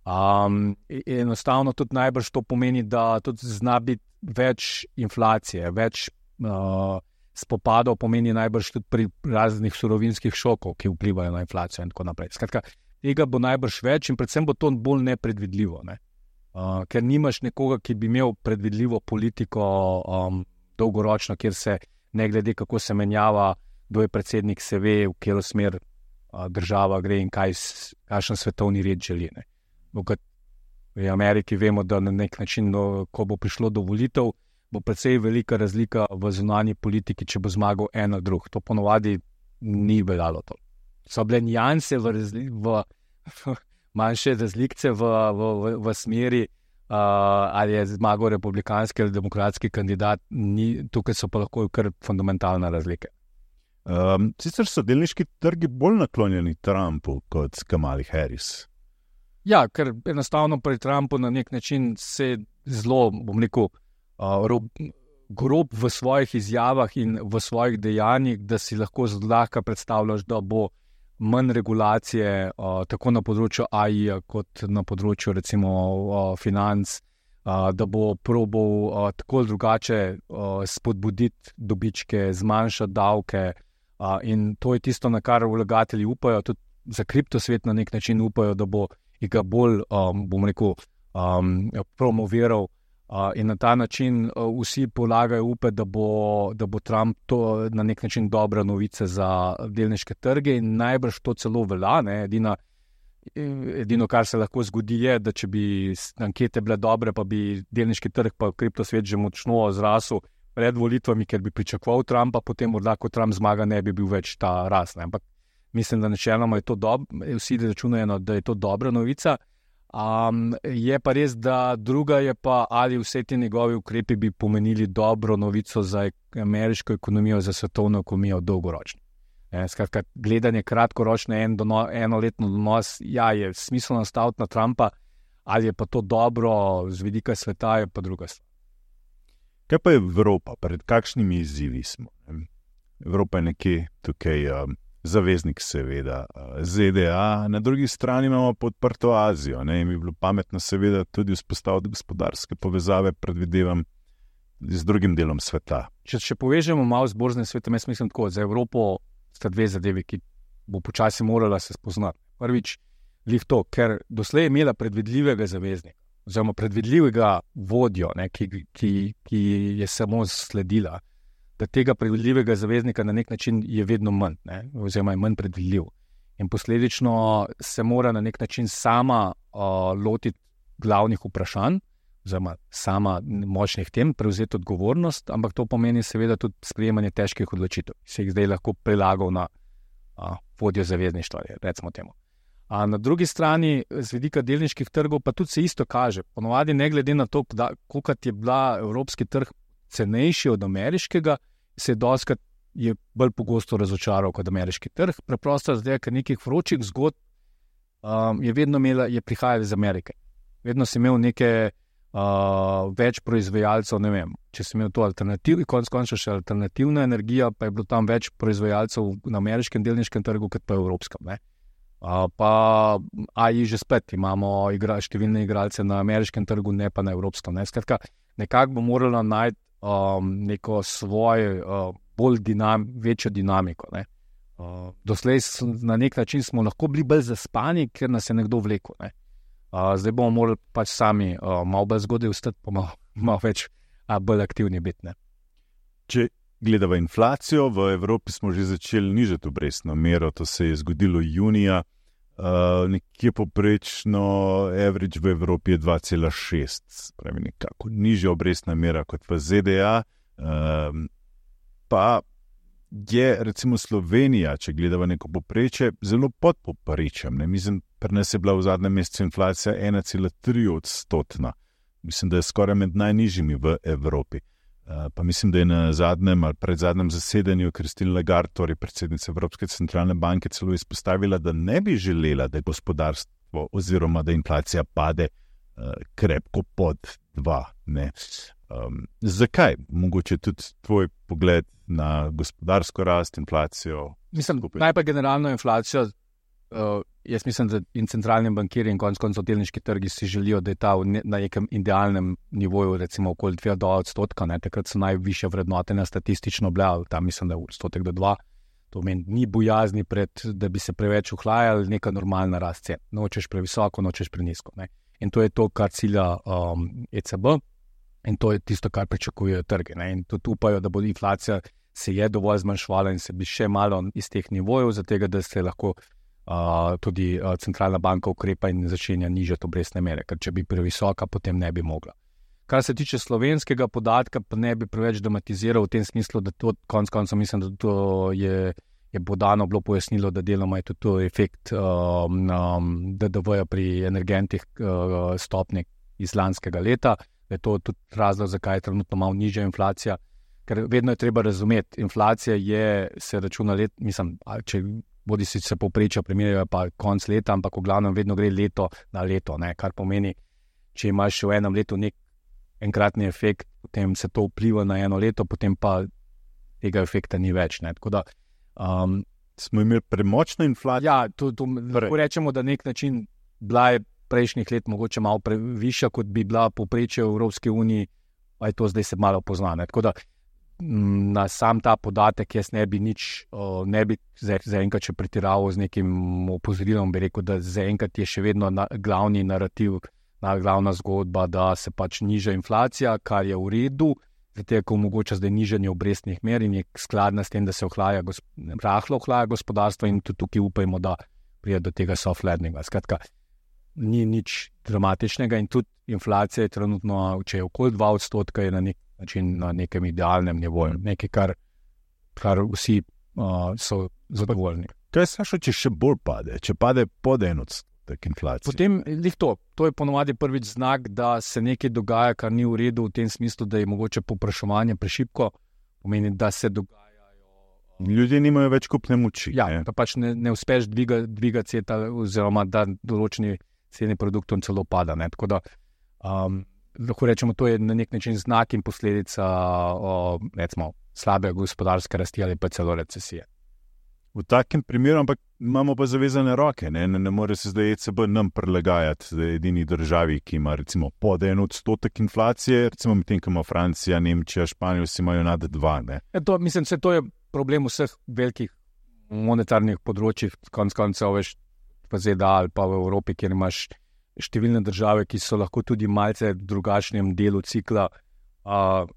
Um, enostavno tudi najbrž to pomeni, da tudi zna biti več inflacije, več uh, spopadov pomeni najbrž tudi pri raznih surovinskih šokov, ki vplivajo na inflacijo in tako naprej. Skratka, tega bo najbrž več in predvsem bo to bolj nepredvidljivo, ne? Uh, ker nimaš nekoga, ki bi imel predvidljivo politiko um, dolgoročno, kjer se ne glede, kako se menjava, kdo je predsednik, se ve, v katero smer uh, država gre in kaj, kakšen svetovni red želi. Ne. V Ameriki vemo, da na nek način, no, ko bo prišlo do volitev, bo precej velika razlika v zunanji politiki, če bo zmagal en ali drug. To ponovadi ni veljalo to. So bile nijanse v, razli, v, v manjše razlikce v, v, v, v smeri, uh, ali je zmagal republikanski ali demokratski kandidat, ni, tukaj so pa lahko kar fundamentalne razlike. Um, sicer so delniški trgi bolj naklonjeni Trumpu kot Kamali Harris. Ja, ker enostavno pri Trumpu na nek način se zelo, bom rekel, uh, rob, grob v svojih izjavah in v svojih dejanjih, da si lahko zlahka predstavljaš, da bo manj regulacije uh, tako na področju A I-ja kot na področju recimo uh, financ, uh, da bo probal uh, tako ali drugače uh, spodbuditi dobičke, zmanjšati davke uh, in to je tisto, na kar vlagatelji upajo, tudi za kriptosvet na nek način upajo, da bo ga bolj, um, bom rekel, um, promoviral. Uh, in na ta način uh, vsi polagajo upe, da bo, da bo Trump to na nek način dobra novica za delniške trge in najbrž to celo velja. Ne? Edina, edino, kar se lahko zgodi, je, da če bi ankete bile dobre, pa bi delniški trg pa kriptosvet že močno zrasel pred volitvami, ker bi pričakoval Trumpa, potem morda, ko Trump zmaga, ne bi bil več ta rast. Ne? Ampak mislim, da načeloma je to dobro, vsi računajo, da je to dobra novica. Um, je pa res, da druga je pa, ali vse te njegovi ukrepi bi pomenili dobro novico za ameriško ekonomijo, za svetovno ekonomijo dolgoročno. E, skratka, gledanje kratkoročne en dono, enoletno donos, ja, je smiselno staviti na Trumpa, ali je pa to dobro z vidika sveta, je pa druga stvar. Kaj pa je Evropa? Pred kakšnimi izzivi smo? Evropa je nekje tukaj um, zaveznik seveda Z D A, na drugi strani imamo podprto Azijo. Ne? In bi bilo pametno seveda tudi vzpostaviti gospodarske povezave, predvidevam, z drugim delom sveta. Če še povežemo malo z borznim svetom, jaz mislim tako, za Evropo sta dve zadevi, ki bo počasi morala se spoznati. Prvič, lih to, ker doslej je imela predvidljivega zaveznika, oziroma predvidljivega vodjo, ne, ki, ki, ki je samo sledila, da tega predvidljivega zaveznika na nek način je vedno manj, ne, oziroma je manj predvidljiv. In posledično se mora na nek način sama uh, lotiti glavnih vprašanj, oziroma sama močnih tem, prevzeti odgovornost, ampak to pomeni seveda tudi sprejemanje težkih odločitev, ki se jih zdaj lahko prilagal na uh, vodjo zavezništva, recimo temu. A na drugi strani, z vidika delniških trgov, pa tudi se isto kaže. Ponovadi ne glede na to, koliko je bila evropski trg cenejši od ameriškega, se je doskrat je bolj pogosto razočaral kot ameriški trg. Preprosto zdaj, ker nekih vročih zgodb um, je vedno imela, je prihajala iz Amerike. Vedno si imel neke uh, več proizvajalcev, ne vem, če si imel to alternativ, konc končno še alternativna energija, pa je bilo tam več proizvajalcev na ameriškem delniškem trgu, kot pa evropskem, ne. Uh, pa A I že spet imamo igra, številne igralce na ameriškem trgu, ne pa na evropskem. Ne. Skratka, nekako bo morala najti um, neko svoje, uh, bolj dinam, večjo dinamiko. Ne. Uh, doslej na nek način smo lahko bili bolj zaspani, ker nas je nekdo vlekel. Ne. Uh, zdaj bomo morali pač sami uh, malo bolj zgodaj vstati, pa malo, malo več uh, bolj aktivni biti. Ne. Če gledava inflacijo, v Evropi smo že začeli nižati obrestno mero, to se je zgodilo junija, uh, nekje poprečno average v Evropi je dva cela šest, pravi nekako nižja obrestna mera kot v Z D A, uh, pa je recimo Slovenija, če gledava neko poprečje, zelo pod poprečjem. Mislim, pri nas je bila v zadnjem mesecu inflacija ena cela tri odstotna. Mislim, da je skoraj med najnižjimi v Evropi. Uh, pa mislim, da je na zadnjem ali predzadnjem zasedanju Christine Lagarde, torej predsednica Evropske centralne banke, celo izpostavila, da ne bi želela, da je gospodarstvo oziroma da inflacija pade uh, krepko pod dva. Ne. Um, zakaj? Mogoče tudi tvoj pogled na gospodarsko rast, inflacijo? Mislim, najprej generalno inflacijo. Uh, jaz mislim, da in centralni bankiri in konec koncev delniški trgi si želijo, da je ta ne, na nekem idealnem nivoju, recimo okoli dve do odstotka, ne, takrat so najvišje vrednotenja statistično bile, tam mislim, da je odstotek do dva, to meni ni bojazni pred, da bi se preveč uhlajali, neka normalna rast cen, nočeš previsoko, nočeš prenisko, ne. In to je to, kar cilja um, E C B in to je tisto, kar pričakujejo trge, ne. In tudi upajo, da bo inflacija se je dovolj zmanjšvala in se bi še malo iz teh nivojev, zato da se lahko uh, tudi uh, centralna banka ukrepa in začenja nižati obrestne mere, ker če bi previsoka, potem ne bi mogla. Kar se tiče slovenskega podatka, pa ne bi preveč dramatiziral v tem smislu, da to konc koncev mislim, da to je, je podano bilo pojasnilo, da deloma je tudi to efekt um, um, D D V-ja pri energentih uh, stopnje iz lanskega leta, da je to tudi razlog, zakaj je trenutno malo nižja inflacija, ker vedno je treba razumeti, inflacija je, se računa let, mislim, če bodi si se povprečja primerjajo pa konc leta, ampak v glavnem vedno gre leto na leto, ne, kar pomeni, če imaš v enem letu nek enkratni efekt, potem se to vpliva na eno leto, potem pa tega efekta ni več. Ne. Tako da, um, smo imeli premočno inflacijo. Ja, to, to lahko rečemo, da nek način bila je prejšnjih let mogoče malo previšja, kot bi bila povprečje v Evropski uniji, pa je to zdaj se malo pozna. Ne. Tako da na sam ta podatek jaz ne bi nič, ne bi zaenkrat še pretiraval z nekim opozorilom, bi rekel, da zaenkrat je še vedno na, glavni narativ, glavna zgodba, da se pač niža inflacija, kar je v redu, zato ko omogoča zdaj nižanje obrestnih mer in je skladna s tem, da se ohlaja, rahlo ohlaja gospodarstvo in tudi tukaj upajmo, da pride do tega soft landinga. Skratka, ni nič dramatičnega in tudi inflacija je trenutno, če je okoli dva odstotka, je na nek način na nekem idealnem nivoju, nekaj, kar, kar vsi uh, so zadovoljni. To je Sašo, če še bolj pade, če pade pod en odstotek. Potem, to, to je ponovadi prvič znak, da se nekaj dogaja, kar ni v redu v tem smislu, da je mogoče povpraševanje prešibko, pomeni, da se dogajajo. Ljudje nimajo več kupne moči. Ja, pa pač ne, ne uspeš dviga, dviga ceta oziroma da določeni cene produktov celo pada. Ne? Tako da, um, lahko rečemo, to je na nek način znak in posledica o, recimo, slabe gospodarske rasti ali pa celo recesije. V takem primeru, ampak imamo pa zavezane roke, ne, ne, ne more se zdaj E C B nam prilagajati edini državi, ki ima recimo pod en odstotek inflacije, recimo medtem, ko ima Francija, Nemčija, Španija, vsi imajo nad dva. Ne. Ja, to, mislim, se to je problem vseh velikih monetarnih področjih, konc koncev veš v Z D A ali pa v Evropi, kjer imaš številne države, ki so lahko tudi malce v drugačnem delu cikla, uh,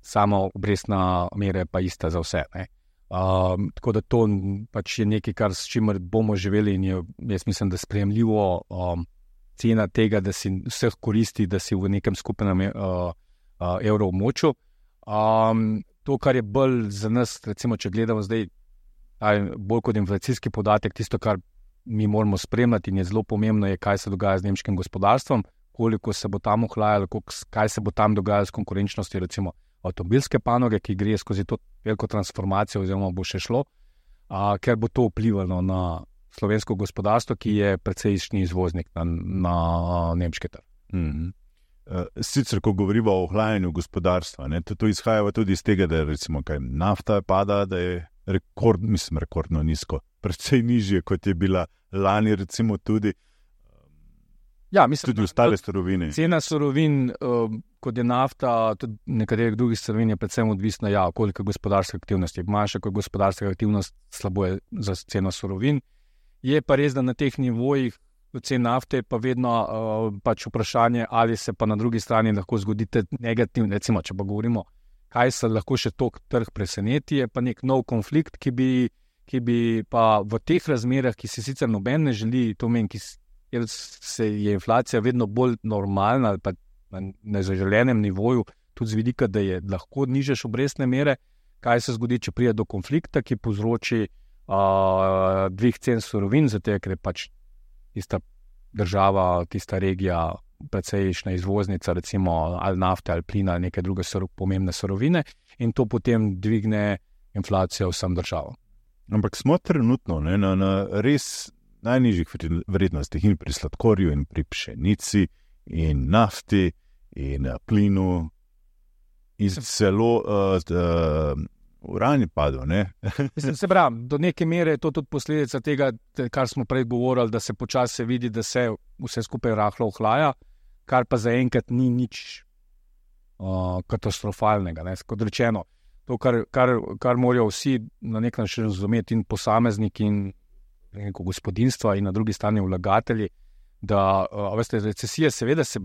sama obrestna mera pa ista za vse, ne. Um, tako da to pač je nekaj, kar s čimer bomo živeli in je, jaz mislim, da sprejemljivo um, cena tega, da si vseh koristi, da si v nekem skupnem uh, uh, evroobmočju. Um, to, kar je bolj za nas, recimo, če gledamo zdaj bolj kot inflacijski podatek, tisto, kar mi moramo spremljati in je zelo pomembno, je, kaj se dogaja z nemškim gospodarstvom, koliko se bo tam ohlajalo, kaj se bo tam dogajalo s konkurenčnostjo, recimo avtomobilske panoge, ki gre skozi to veliko transformacijo oziroma bo še šlo, a, ker bo to vplivalo na slovensko gospodarstvo, ki je precejšnji izvoznik na, na nemški trg. Mm-hmm. Sicer, ko govorimo o ohlajanju gospodarstva, ne, to, to izhaja tudi iz tega, da recimo, kaj, nafta pada, da je rekord, mislim, rekordno nizko, precej nižje, kot je bila lani, recimo tudi, ja, mislim, tudi ostale surovine. Cena surovin, uh, kot je nafta, tudi nekaterih drugih surovin je predvsem odvisna, ja, koliko gospodarske aktivnosti. Manjša kot gospodarska aktivnost, slabo je za ceno surovin. Je pa res, da na teh nivojih cen nafte pa vedno uh, pač vprašanje, ali se pa na drugi strani lahko zgodite negativno, recimo, če pa govorimo, kaj se lahko še tok trg preseneti, je pa nek nov konflikt, ki bi, ki bi pa v teh razmerah, ki se sicer noben ne želi, to meni, ki ker se je inflacija vedno bolj normalna ali pa na nezaželenem nivoju, tudi z vidika, da je lahko nižaš obrestne mere, kaj se zgodi, če pride do konflikta, ki povzroči uh, dvig cen surovin, zato ker je pač tista država, tista regija precejšnja izvoznica, recimo ali nafte ali plina ali neke druge sor- pomembne surovine in to potem dvigne inflacijo vsem državam. Ampak smo trenutno ne, na, na res najnižjih vrednostih in pri sladkorju in pri pšenici in nafti in plinu in celo uh, uh, uran je padel, ne? Se pravi, do neke mere je to tudi posledica tega, kar smo prej govorili, da se počasi vidi, da se vse skupaj rahlo ohlaja, kar pa zaenkrat ni nič uh, katastrofalnega, ne? Kot rečeno, to, kar, kar, kar morajo vsi na nek način razumeti in posamezniki in neko gospodinstva in na drugi strani vlagatelji, da, uh, veste, recesija seveda se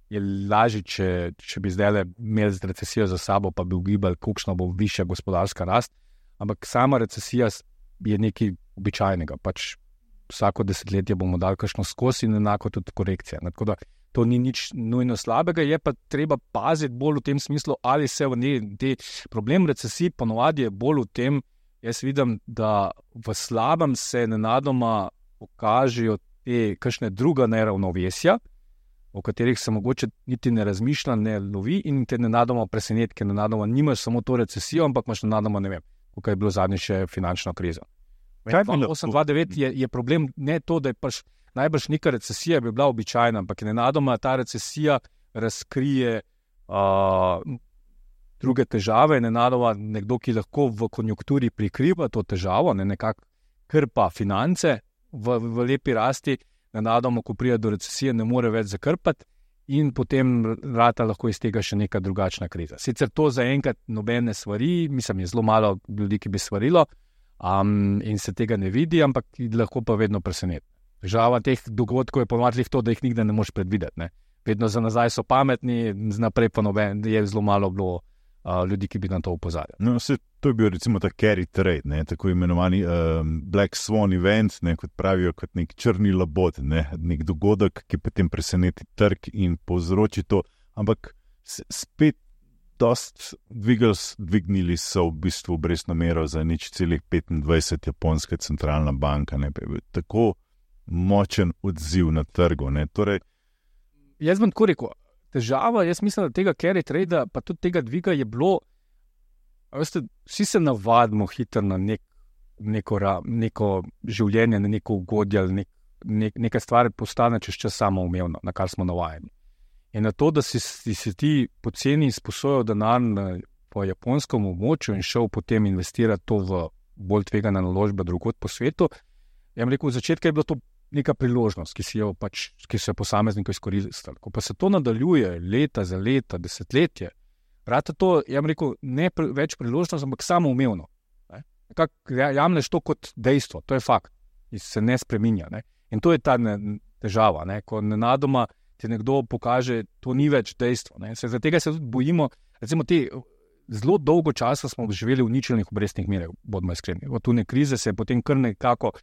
je lažje, če, če bi zdaj imeli z recesijo za sabo, pa bi ugibali, kolikšna bo višja gospodarska rast, ampak sama recesija je nekaj običajnega. Pač vsako desetletje bomo dali kakšno skozi in enako tudi korekcija. Tako da to ni nič nujno slabega, je pa treba paziti bolj v tem smislu, ali se v njej, te problem recesij ponovadi je bolj v tem, jaz vidim, da v slabem se nenadoma pokažejo te kakšne druga neravnovesja, o katerih se mogoče niti ne razmišlja, ne lovi in te nenadoma presenetke, nenadoma nimaš samo to recesijo, ampak imaš nenadoma, ne vem, kako je bilo zadnje še finančno krizo. osem dva devet je, je problem ne to, da je pač najbrž neka recesija bi bila običajna, ampak nenadoma ta recesija razkrije uh, druge težave, nenadoma nekdo, ki lahko v konjunkturi prikriva to težavo, ne, nekako krpa finance v, v lepi rasti, nenadoma, ko pride do recesije, ne more več zakrpati in potem rata lahko iz tega še neka drugačna kriza. Sicer to zaenkrat nobene svari, mislim, je zelo malo ljudi, ki bi svarilo um, in se tega ne vidi, ampak lahko pa vedno preseneti. Težava teh dogodkov je ponovadi to, da jih nikdar ne moreš predvideti. Ne. Vedno za nazaj so pametni, naprej pa noben, je zelo malo bilo uh, ljudi, ki bi na to opozarjali. No, se, to je bil recimo ta carry trade, ne, tako imenovani um, Black Swan event, ne, kot pravijo, kot nek črni labod, ne, nek dogodek, ki potem preseneti trg in povzroči to. Ampak spet dost dvigali, dvignili so v bistvu obrestno mero za nič celih petindvajset japonska centralna banka. Ne, tako močen odziv na trgu. Ne, torej, jaz bom tako rekel, težava, jaz mislim, da tega carry trade, pa tudi tega dviga je bilo, veste, vsi se navadimo hitro na nek, neko, neko življenje, na neko ugodje, nek, nek, nekaj stvari postane čez čas samoumevno, na kar smo navajeni. In na to, da si, si, si ti poceni izposojal denar po japonskem območju in šel potem investirati to v bolj tvegane naložbe drugod po svetu, ja bom rekel, v začetku je bilo to neka priložnost, ki si jo pač, ki so jo posamezniki izkoristili. Ko pa se to nadaljuje leta za leta, desetletje, rata to, ja bom rekel, ne pre, več priložnost, ampak samoumevno. Nekako jamneš to kot dejstvo, to je fakt, ki se ne spreminja. Ne? In to je ta ne, težava, ne? Ko nenadoma ti nekdo pokaže, to ni več dejstvo. Ne? Se, zaradi tega se tudi bojimo, recimo te zelo dolgo časa smo živeli v ničelnih obrestnih merah, bodimo iskreni. Od tune krize se je potem kar nekako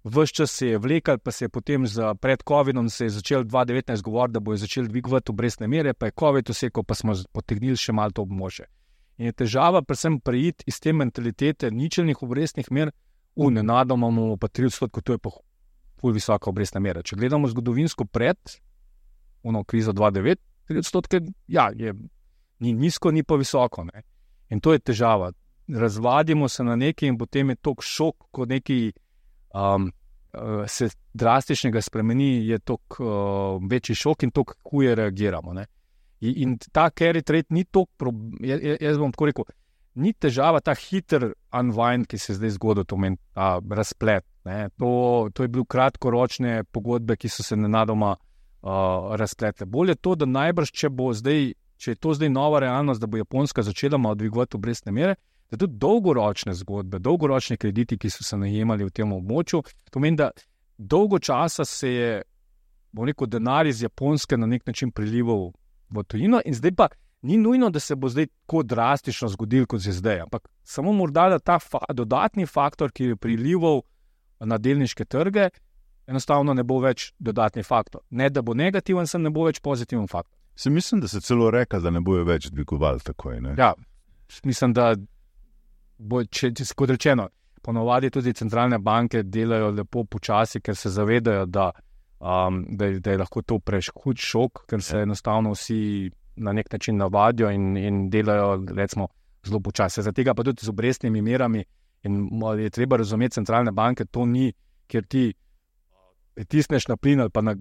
ves čas se je vlekal, pa se je potem za pred covidom se je začel dva tisoč devetnajst govoriti, da bojo začeli dvigovati obrestne mere, pa je covid usekal, pa smo potegnili še malo to območje. In je težava predvsem preiti iz te mentalitete ničelnih obrestnih mer, v nenadoma imamo pa tri odstotke, to je pa ful visoka obrestna mera. Če gledamo zgodovinsko pred ono krizo dva tisoč devet, tri odstotke, ja, je ni nizko, ni pa visoko. Ne? In to je težava. Razvadimo se na nekaj in potem je tok šok, ko neki Um, se drastičnega spremeni, je tok uh, večji šok in tok huje reagiramo. Ne? In, in ta carry trade ni tok, jaz, jaz bom tako rekel, ni težava ta hiter unwind, ki se zdaj zgodil, to meni ta razplet. Ne? To, to je bil kratkoročne pogodbe, ki so se nenadoma uh, razpletle. Bolje je to, da najbrž, če bo zdaj, če je to zdaj nova realnost, da bo Japonska začela malo dvigovati obrestne mere, da tudi dolgoročne zgodbe, dolgoročni krediti, ki so se najemali v tem območju, to meni, da dolgo časa se je, bom rekel, denar iz Japonske na nek način prilival v tujino in zdaj pa ni nujno, da se bo zdaj tako drastično zgodil, kot je zdaj, ampak samo morda, da ta fa- dodatni faktor, ki je prilival na delniške trge, enostavno ne bo več dodatni faktor. Ne, da bo negativen, sem ne bo več pozitiven faktor. Se mislim, da se celo reka, da ne bojo več dvigovali takoj. Ne? Ja, mislim, da bo, če, če, kot rečeno, ponovadi tudi centralne banke delajo lepo počasi, ker se zavedajo, da, um, da, da je lahko to prehud šok, ker se enostavno vsi na nek način navadijo in, in delajo, recimo, zelo počasi. Zaradi tega pa tudi z obrestnimi merami in je treba razumeti centralne banke, to ni, ker ti pritisneš na plin ali pa na,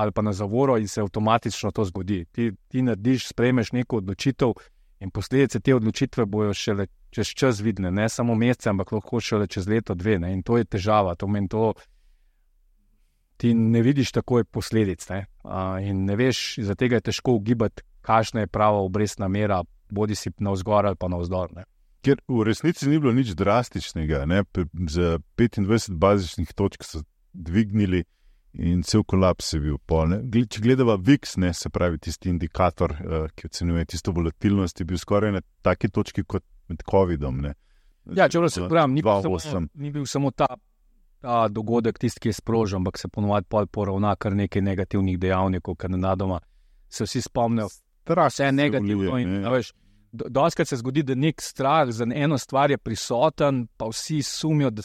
ali pa na zavoro in se avtomatično to zgodi. Ti, ti narediš, sprejmeš neko odločitev in posledice te odločitve bojo šele čez čas vidne, ne samo mesece, ampak lahko šele čez leto, dve. Ne? In to je težava. To meni to, ti ne vidiš takoj posledic. Ne? Uh, in ne veš, zaradi tega je težko ugibati, kakšna je prava obrestna mera, bodi si navzgor ali pa navzdol. Ne? Ker v resnici ni bilo nič drastičnega. Ne? Za petindvajset bazičnih točk so dvignili in cel kolaps je bil pol. Ne? Če gledava V I X, ne, se pravi tisti indikator, uh, ki ocenjuje tisto volatilnost, je bil skoraj na taki točki kot med covidom. Ne? Ja, če se pravim, ni, ni bil samo ta ta dogodek tisti, ki je sprožen, ampak se ponovadi pol poravna kar nekaj negativnih dejavnikov, ker nenadoma se vsi spomnijo, vse je negativno. In, ne. Veš, do, doskrat se zgodi, da nek strah za eno stvar je prisoten, pa vsi sumijo, da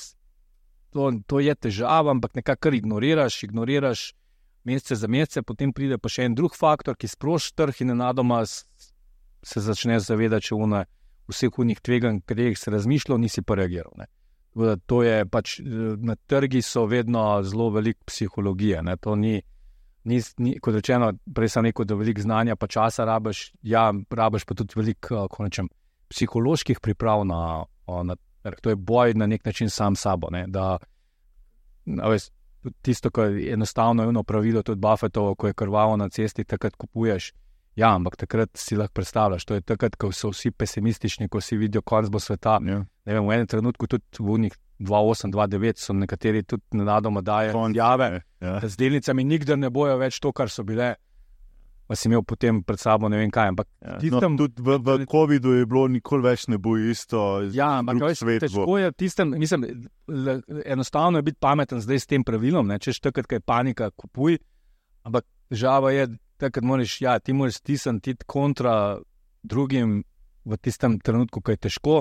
to, to je težava, ampak nekako ignoriraš, ignoriraš mesece za mesece, potem pride pa še en drug faktor, ki sproži trg in nenadoma se začne zavedati, če une vseh unih tveganj, katerih se razmišljal, nisi pa reagiral. Ne. To je pač, na trgi so vedno zelo veliko psihologije. Ne. To ni, ni, ni, kot rečeno, prej sem rekel, da veliko znanja pa časa rabiš, ja, rabiš pa tudi veliko, ko rečem, psiholoških priprav na, na trg. To je boj na nek način sam sabo, ne. Da, veš, tisto, ko je enostavno eno pravilo, tudi Buffettovo, ko je krvavo na cesti, takrat kupuješ. Ja, ampak takrat si lahko predstavljaš, to je takrat, ko so vsi pesimistični, ko si vidijo konec bo sveta. Ja. Ne vem, v enem trenutku tudi v unih dva osem dva devet so nekateri tudi nenadoma dajo izjave, ja. Z delnicami nikdar ne bojo več to, kar so bile. Pa si imel potem pred sabo ne vem kaj. Ampak ja. tistem, no, tudi v, v covidu je bilo nikoli več ne bo isto. Ja, ampak veš, težko je tistem, mislim, le, enostavno je biti pameten zdaj s tem pravilom, ne, češ takrat, kaj je panika, kupuj, ampak težava je, takrat moraš, ja, ti moraš stisniti kontra drugim v tistem trenutku, ko je težko,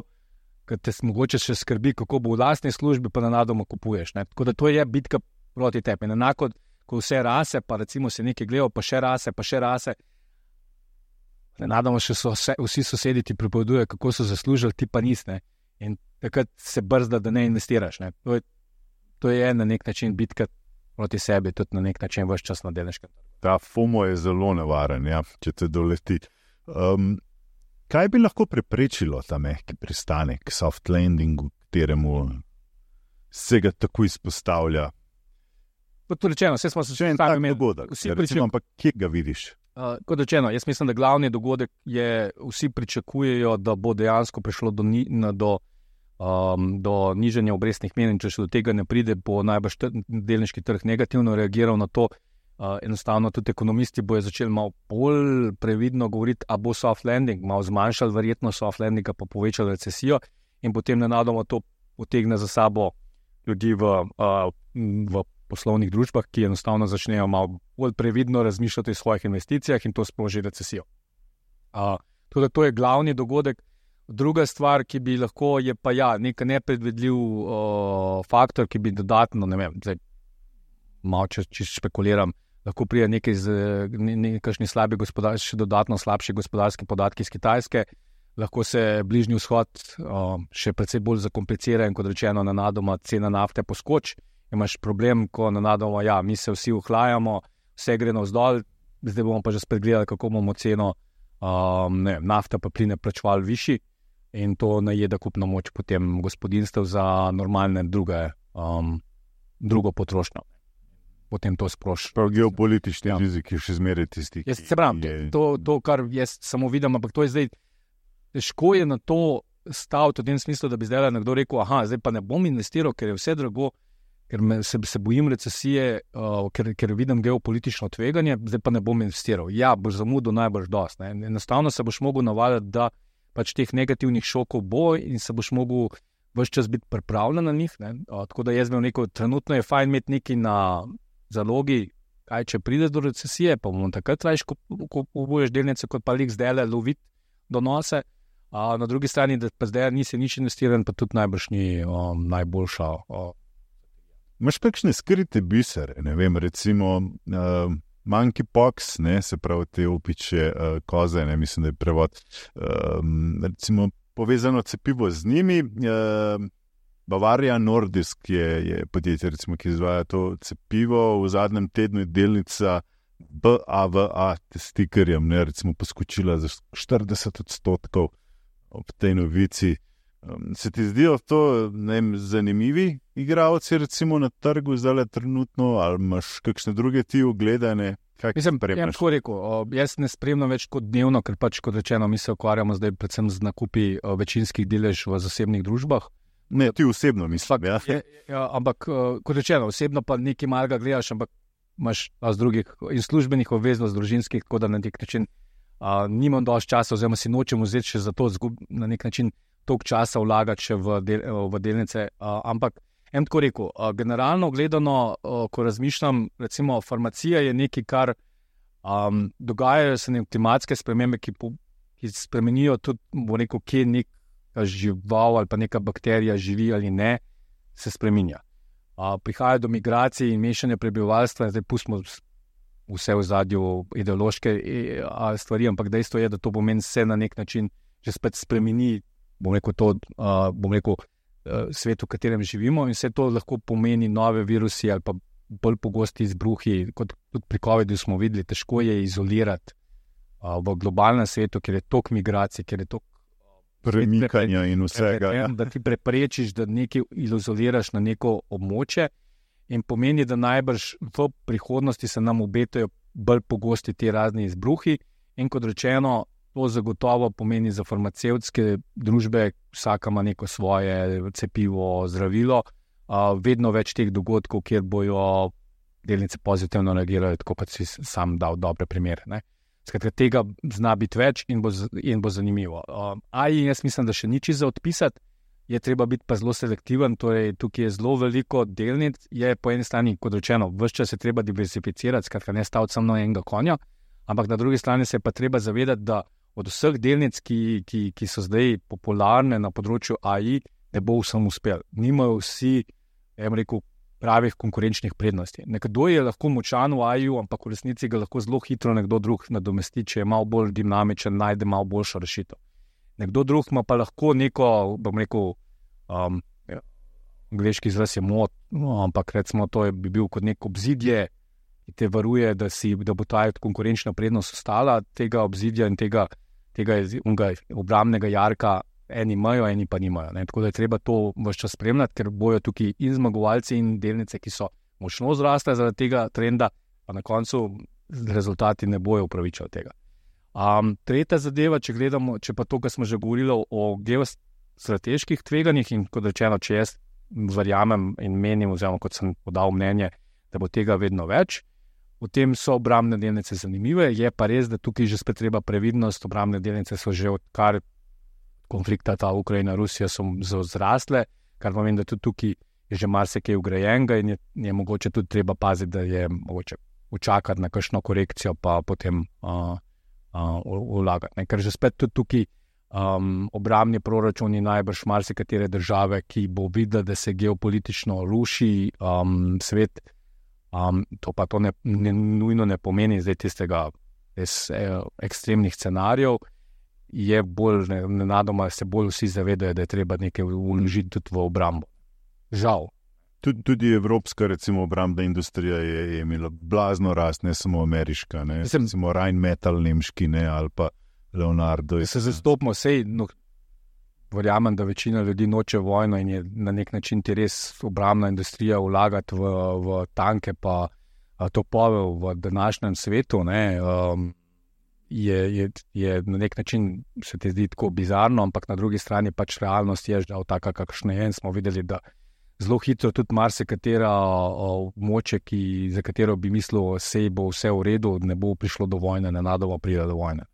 ker te mogoče še skrbi, kako bo v lastni službi, pa nenadoma kupuješ. Ne. Tako da to je bitka proti tebi. Enako, ko vse rase, pa recimo se nekaj gledal, pa še rase, pa še rase, nenadoma še so vse, vsi sosedi ti pripovedujejo, kako so zaslužili, ti pa nis. Ne. In takrat se brzda, da ne investiraš. Ne. To, je, to je na nek način bitka proti sebi, tudi na nek način ves čas na delniškem trgu. Ta FOMO je zelo nevaren, ja, če te doleti. Um, kaj bi lahko preprečilo ta mehki pristanek, soft landing, kateremu se ga tako izpostavlja? Kot rečeno, vse smo se še en tak dogodek, ja, recimo, ampak kje ga vidiš? Uh, kot rečeno, jaz mislim, da glavni dogodek je, vsi pričakujejo, da bo dejansko prišlo do, ni, do, um, do nižanja obrestnih mer, in če še do tega ne pride, bo najbrž delniški trg negativno reagiral na to. Uh, enostavno tudi ekonomisti bojo začeli malo bolj previdno govoriti, a bo soft landing, malo zmanjšali verjetno soft landinga, pa povečali recesijo in potem nenadoma to potegne za sabo ljudi v, uh, v poslovnih družbah, ki enostavno začnejo malo bolj previdno razmišljati o svojih investicijah in to sproži recesijo. Uh, tudi to je glavni dogodek. Druga stvar, ki bi lahko, je pa ja, nek nepredvidljiv uh, faktor, ki bi dodatno, ne vem, zdaj malo če, če špekuliram, lahko prije nekaj z ne, nekakšni slabi gospodarski, še dodatno slabši gospodarski podatki iz Kitajske, lahko se bližnji vzhod uh, še precej bolj zakomplicira in kot rečeno, nenadoma cena nafte poskoči. Imaš problem, ko nenadoma, ja, mi se vsi ohlajamo, vse gre navzdol, zdaj bomo pa že spet gledali, kako bomo ceno um, ne, nafta pa pline plačevali višji in to najeda kupno moč potem gospodinjstev za normalne druge, um, drugo potrošnjo. Potem to sproši. Prav geopolitični ja. rizik je še zmeraj tisti. Jaz se pravim, je... to, to, kar jaz samo vidim, ampak to je zdaj, težko je na to staviti v tem smislu, da bi zdaj nekdo rekel, aha, zdaj pa ne bom investiral, ker je vse drago, ker me, se, se bojim recesije, uh, ker, ker vidim geopolitično tveganje, zdaj pa ne bom investiral. Ja, boš zamudil najbrž dost. Ne? Enostavno se boš mogel navaditi, da pač teh negativnih šokov bo in se boš mogel ves čas biti pripravljen na njih. Ne? Uh, tako da jaz bi rekel, trenutno je fajn imeti nekaj na zalogi, kaj če pride do recesije, pa bomo takrat rajš, ko, ko kupuješ delnice, kot pa lik zdaj le loviti donose. A na drugi strani, da pa zdaj nisi nič investiran, pa tudi najbrž ni um, najboljša. Um. Imaš kakšne skrite bisere, ne vem, recimo uh, monkeypox, ne, se pravi te opiče uh, koze, ne, mislim, da je prevod, uh, recimo povezano cepivo z njimi, uh, Bavaria Nordisk je, je podjetje, recimo, ki izvaja to cepivo, v zadnjem tednu je delnica B A V A testikerjem, ne, recimo poskočila za štirideset odstotkov ob tej novici. Um, se ti zdijo to, ne vem, zanimivi igralci recimo na trgu zdaj trenutno, ali imaš kakšne druge ti ogledane? Mislim, ja, tako rekel, o, jaz ne spremljam več kot dnevno, ker pač kot rečeno, mi se ukvarjamo zdaj predvsem z nakupi o, večinskih delež v zasebnih družbah. Ne, ti osebno mislim, ja. Je, ja. Ampak, kot rečeno, osebno pa nekaj malega gledaš, ampak imaš z drugih in službenih obveznost družinskih, tako da na nek način a, nimam dovolj časa, oziroma si nočem vzeti še za to, zgub, na nek način toliko časa vlagati še v, del, v delnice. A, ampak En tako rekel, generalno gledano, ko razmišljam, recimo farmacija je nekaj, kar um, dogajajo se neke klimatske spremembe, ki, po, ki spremenijo tudi, bo rekel, kje neka žival ali pa neka bakterija živi ali ne, se spreminja. Uh, prihaja do migracij in mešanja prebivalstva, zdaj pustimo vse v zadju ideološke stvari, ampak dejstvo je, da to pomeni se na nek način že spet spremeni, bom rekel, to, uh, bom rekel, uh, svet, v katerem živimo, in vse to lahko pomeni nove virusi ali pa bolj pogosti izbruhi, kot tudi pri covidu smo videli, težko je izolirati uh, v globalnem svetu, ker je toliko migracij, ker je toliko premikanja in vsega. Ja. Da ti preprečiš, da nekaj izoliraš na neko območje, in pomeni, da najbrž v prihodnosti se nam obetajo bolj pogosti ti razni izbruhi, in kot rečeno, to zagotovo pomeni za farmacevtske družbe, vsaka ima neko svoje cepivo, zdravilo, uh, vedno več teh dogodkov, kjer bojo delnice pozitivno reagirale, tako kot si sam dal dobre primere. Ne? Skratka, tega zna biti več in bo, in bo zanimivo. Uh, A I, jaz mislim, da še ni čisto za odpisati, je treba biti pa zelo selektiven, torej tukaj je zelo veliko delnic, je po eni strani, kot rečeno, ves čas je treba diversificirati, skratka ne staviti samo na enega konja, ampak na drugi strani se je pa treba zavedati, da od vseh delnic, ki, ki, ki so zdaj popularne na področju A I, ne bo vsem uspel. Nimajo vsi, jaz rekel, pravih konkurenčnih prednosti. Nekdo je lahko močan v A I-ju, ampak v resnici ga lahko zelo hitro nekdo drug nadomesti, če je malo bolj dinamičen, najde malo boljšo rešitev. Nekdo drug ima pa lahko neko, bom rekel, um, angleški izraz je mod, no, ampak recimo to je, bi bil kot nek obzidje, ki te varuje, da, si, da bo ta konkurenčna prednost ostala, tega obzidja in tega, tega obrambnega jarka eni imajo, eni pa nimajo. Ne? Tako da je treba to ves čas spremljati, ker bojo tukaj in zmagovalci in delnice, ki so močno zrasle zaradi tega trenda, pa na koncu rezultati ne bojo upravičali tega. Um, tretja zadeva, če gledamo, če pa to, kar smo že govorili o geostrateških tveganjih, in kot rečeno, če jaz verjamem in menim, oziroma kot sem podal mnenje, da bo tega vedno več, potem so obrambne delnice zanimive, je pa res, da tukaj že spet treba previdnost, obrambne delnice so že odkar konflikta ta Ukrajina, Rusija so zrastle, kar pomeni, da tudi tukaj je že marsikaj ugrajenega in je, je mogoče tudi treba paziti, da je mogoče učakati na kakšno korekcijo, pa potem uh, vlagati. Uh, Ker že spet tudi tukaj um, obrambni proračuni najbrž marsikatere države, ki bo videla, da se geopolitično ruši um, svet, um, to pa to ne, ne, nujno ne pomeni zdaj tistega res, eh, ekstremnih scenarijev, je bolj, nenadoma se bolj vsi zavedajo, da je treba nekaj vložiti tudi v obrambo. Žal. Tudi, tudi evropska, recimo, obrambna industrija je, je imela blazno rast, ne samo ameriška, ne, Mislim, recimo Rheinmetall nemški, ne, ali pa Leonardo. Se zastopimo, sej, no, verjamem, da večina ljudi noče vojno in je na nek način ti res obrambna industrija vlagati v, v tanke pa topove v današnjem svetu, ne, um, je, je, je na nek način se ti zdi tako bizarno, ampak na drugi strani pač realnost je žal taka, kakšna je, in smo videli, da zelo hitro tudi marsikatera območje, za katero bi mislil, sej bo vse v redu, ne bo prišlo do vojne, nenadoma pride do vojne.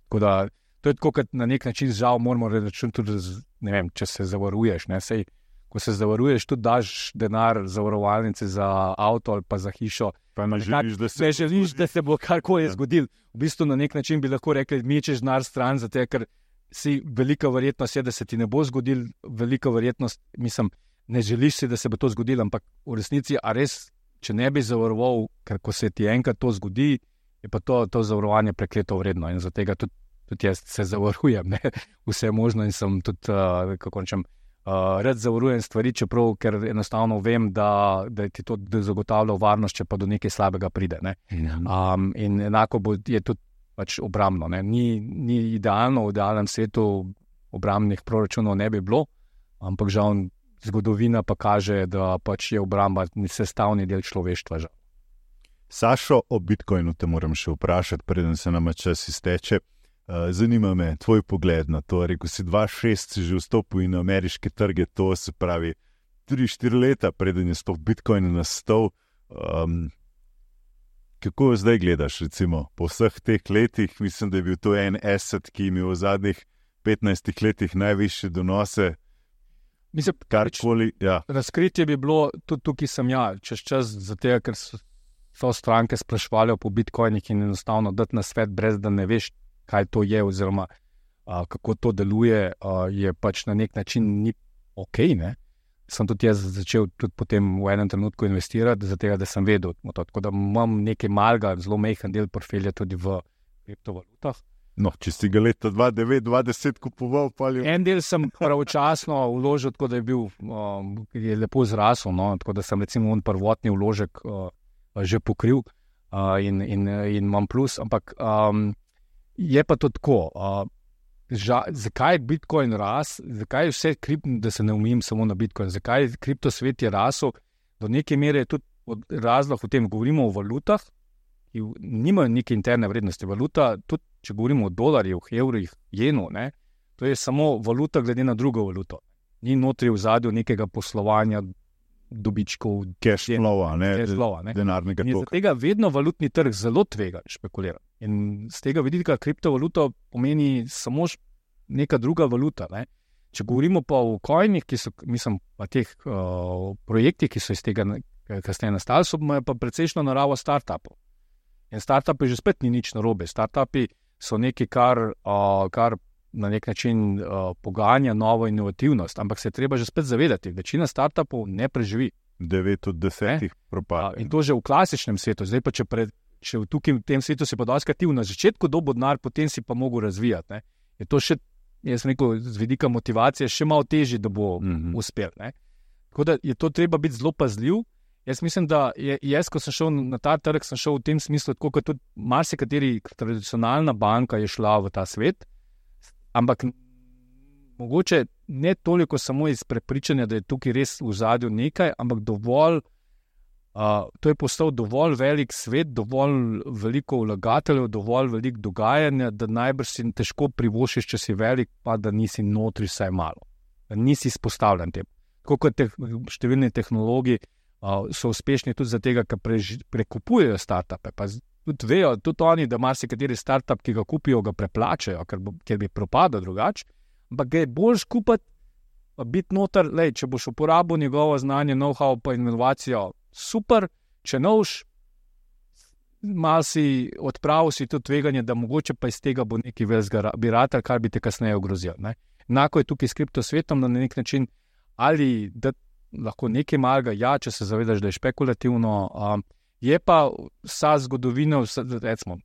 Tako da, to je tako, kot na nek način žal moramo reči tudi, ne vem, če se zavaruješ, ne, sej, ko se zavaruješ, tudi daš denar zavarovalnice za avto ali pa za hišo, pa ne želiš, da se, ne želiš, da se bo karkoli zgodil. V bistvu na nek način bi lahko rekli, mečeš denar stran, zato ker si velika verjetnost je, da se ti ne bo zgodil, velika verjetnost, mislim, ne želiš si, da se bo to zgodilo, ampak v resnici, a res, če ne bi zavaroval, ker ko se ti enkrat to zgodi, je pa to, to zavarovanje prekleto vredno in zato tudi, tudi jaz se zavarujem, ne, vse možno in sem tudi, uh, kako rečem, uh, rad zavarujem stvari, čeprav, ker enostavno vem, da, da ti to zagotavlja varnost, če pa do nekaj slabega pride, ne. Um, in enako bo, je tudi pač obrambno, ne. Ni, ni idealno, v idealnem svetu obrambnih proračunov ne bi bilo, ampak žal zgodovina pa kaže, da pač je obramba sestavni del človeštva. Žal. Sašo, o Bitcoinu te moram še vprašati, preden se nama čas izteče. Zanima me tvoj pogled na to. Rekel si, dva tisoč šest si že vstopil in na ameriške trge, to se pravi tri štiri leta, preden je sploh Bitcoin nastal. Um, kako zdaj gledaš, recimo, po vseh teh letih? Mislim, da je bil to en asset, ki je imel v zadnjih petnajstih letih najvišje donose. Mislim, karkoli. Ja. Razkritje bi bilo tudi tukaj, sem ja, čez čas, zato ker so, so stranke sprašvali po bitcoinih in enostavno dati na svet, brez da ne veš, kaj to je, oziroma a, kako to deluje, a, je pač na nek način ni ok. Ne? Sem tudi jaz začel tudi potem v enem trenutku investirati, zato da sem vedel, tako da imam nekaj malega, zelo majhen del portfelja tudi v kriptovalutah. No, če si ga leta dva tisoč devet dva tisoč deset kupoval, pa je... En del sem pravočasno vložil, tako da je bil, um, je lepo zrasel, no, tako da sem recimo on prvotni vložek uh, že pokril uh, in, in, in imam plus, ampak um, je pa to tako, uh, ža, zakaj je Bitcoin ras, zakaj je vse kripto, da se ne umim samo na Bitcoin, zakaj je kriptosvet je rasel, do neke mere je tudi razlog v tem, govorimo o valutah, ki nimajo neke interne vrednosti. Valuta, tudi če govorimo o dolarjih, evrih, jenu, ne, to je samo valuta glede na drugo valuto. Ni notri v zadju nekega poslovanja, dobičkov, cash flowa, ne, ne. denarnega toka. Zaradi tega vedno valutni trg zelo tvega špekulira. In z tega vidika kriptovaluta pomeni samo neka druga valuta. Ne. Če govorimo pa o coinih, ki so, mislim, pa teh uh, projektih, ki so iz tega kasneje nastali, so pa precejšno naravo startupov. In startupi že spet ni nič narobe. Startupi so nekaj, kar, uh, kar na nek način uh, poganja novo inovativnost, ampak se je treba že spet zavedati, večina startupov ne preživi. Devet od desetih propade. In to že v klasičnem svetu. Zdaj pa, če, pred, če v tukaj v tem svetu si pa dosti aktiv, na začetku dobo denar, potem si pa mogel razvijati. Ne. Je to še, jaz rekel, z vidika motivacije še malo težje, da bo mm-hmm. uspel. Ne. Tako da je to treba biti zelo pazljiv. Jaz mislim, da je, jaz, ko sem šel na ta trg, sem šel v tem smislu, tako kot tudi marsikateri tradicionalna banka je šla v ta svet, ampak mogoče ne toliko samo iz prepričanja, da je tukaj res v zadju nekaj, ampak dovolj, uh, to je postal dovolj velik svet, dovolj veliko vlagateljev, dovolj veliko dogajanja, da najbrž si težko privošiš, če si velik, pa da nisi notri vsaj malo. Da nisi izpostavljen tem. Tako kot te, številni tehnologi uh, so uspešni tudi zato, ker prež, prekupujejo startupe. Pa tudi vejo, tudi oni, da marsikateri startup, ki ga kupijo, ga preplačajo, ker, bo, ker bi propadal drugače. Ampak ga je boljš kupiti, biti noter, lej, če boš uporabil njegovo znanje, know-how pa inovacijo, super, če noš, mal si odpravil si to tveganje, da mogoče pa iz tega bo neki velikega biratelj, kar bi te kasneje ogrozil. Ne? Enako je tukaj s kriptosvetom, na nek način, ali da lahko nekaj malega, ja, če se zavedaš, da je špekulativno, um, je pa vsa zgodovina, vsa, recimo,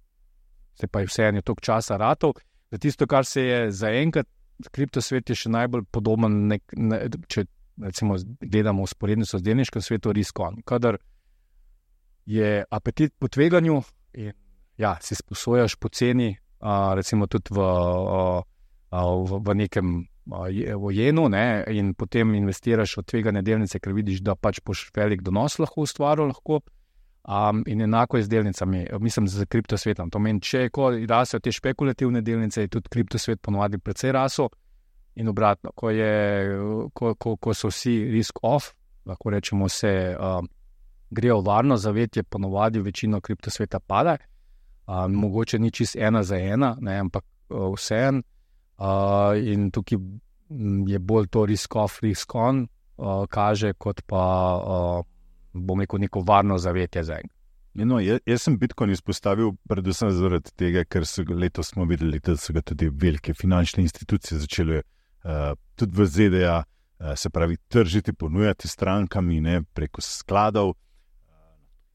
se pa je vseeno toliko časa ratov, da tisto, kar se je zaenkrat, kriptosvet je še najbolj podoben, nek, ne, če recimo gledamo usporednico z delniškim svetom, risk-on. Kadar je apetit po tveganju in ja, si sposojaš poceni, a, recimo tudi v, a, a, v, v nekem a, v jenu, ne, in potem investiraš v tvegane delnice, ker vidiš, da pač boš velik donos lahko ustvaril, lahko. Um, in enako je z delnicami, mislim, z kriptosvetom. To meni, če ko rasejo te špekulativne delnice, je tudi kriptosvet ponovadi precej rasel in obratno. Ko, je, ko, ko, ko so vsi risk off, lahko rečemo, se um, grejo varno zavetje, ponovadi večino kriptosveta pada. Um, mogoče ni čist ena za ena, ne, ampak uh, vseeno. Uh, in tukaj je bolj to risk off, risk on, uh, kaže kot pa... Uh, bom rekel, neko varno zavetje za enega. No, jaz, jaz sem Bitcoin izpostavil predvsem zaradi tega, ker so letos smo videli, da so ga tudi velike finančne institucije začele uh, tudi v Z D A, uh, se pravi, tržiti, ponujati strankami, ne, preko skladov, uh,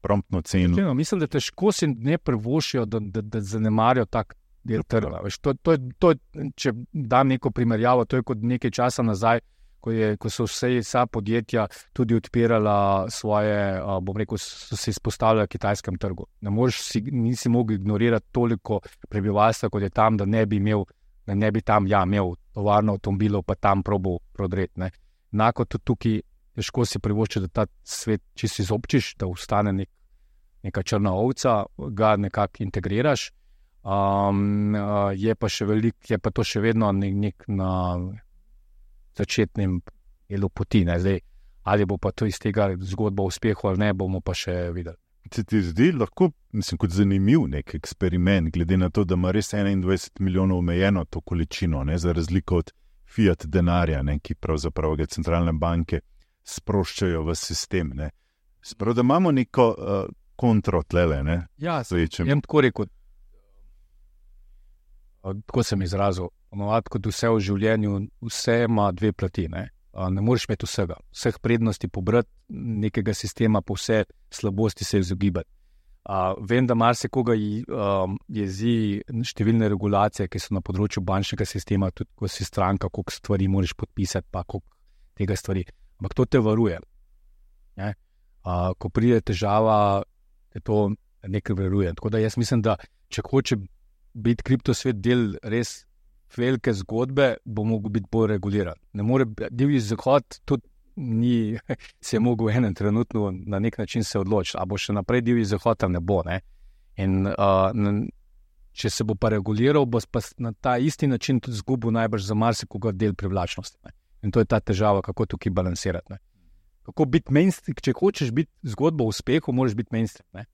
promptno ceno. Čeno, mislim, da težko si ne privošijo, da, da, da zanemarijo tak del trga. Veš, to, to, to, če dam neko primerjavo, to je kot nekaj časa nazaj, Ko, je, ko so vse vsa podjetja tudi odpirala svoje, bom rekel, so se izpostavljali kitajskem trgu. Ne moreš si, nisi mogel ignorirati toliko prebivalstva, kot je tam, da ne bi imel, da ne bi tam, ja, imel tovarno avtomobilov, pa tam probal prodreti. Enako tudi tukaj težko si privošči, da ta svet, če si izobčiš, da ostane nek, neka črna ovca, ga nekako integriraš. Um, je pa še velik, je pa to še vedno nek, nek na začetnem delu poti. Ne? Zdaj, ali bo pa to iz tega zgodba o uspehu ali ne, bomo pa še videli. Se ti zdi lahko, mislim, kot zanimiv nek eksperiment, glede na to, da ima res enaindvajset milijonov omejeno to količino, ne, za razliko od fiat denarja, ne, ki pravzaprav ga centralne banke sproščajo v sistem. Ne. Sprav, da imamo neko uh, kontro tlele. Ne, ja, jem tako rekel, tako sem izrazil, ponovadi kot vse v življenju, vse ima dve plati. Ne, ne moreš imeti vsega, vseh prednosti pobrati, nekega sistema, pa vse slabosti se izogibati. Uh, vem, da marsikoga um, jezi številne regulacije, ki so na področju bančnega sistema, tudi ko si stranka, koliko stvari moraš podpisati, pa koliko tega stvari. Ampak to te varuje. Ne? Uh, ko pride težava, te to nekaj varuje. Tako da jaz mislim, da če hoče biti kriptosvet del res velike zgodbe, bo mogel biti bolj reguliran. Ne more, divji zahod tudi ni se je mogel enem trenutno na nek način se odločiti, a bo še naprej divji zahod, ne bo. Ne? In uh, če se bo pa reguliral, bo pa na ta isti način tudi zgubil najbrž za marsikoga del privlačnosti. Ne? In to je ta težava, kako tukaj balansirati. Ne? Kako biti mainstream, če hočeš biti zgodba o uspehu, moraš biti mainstream. Ne?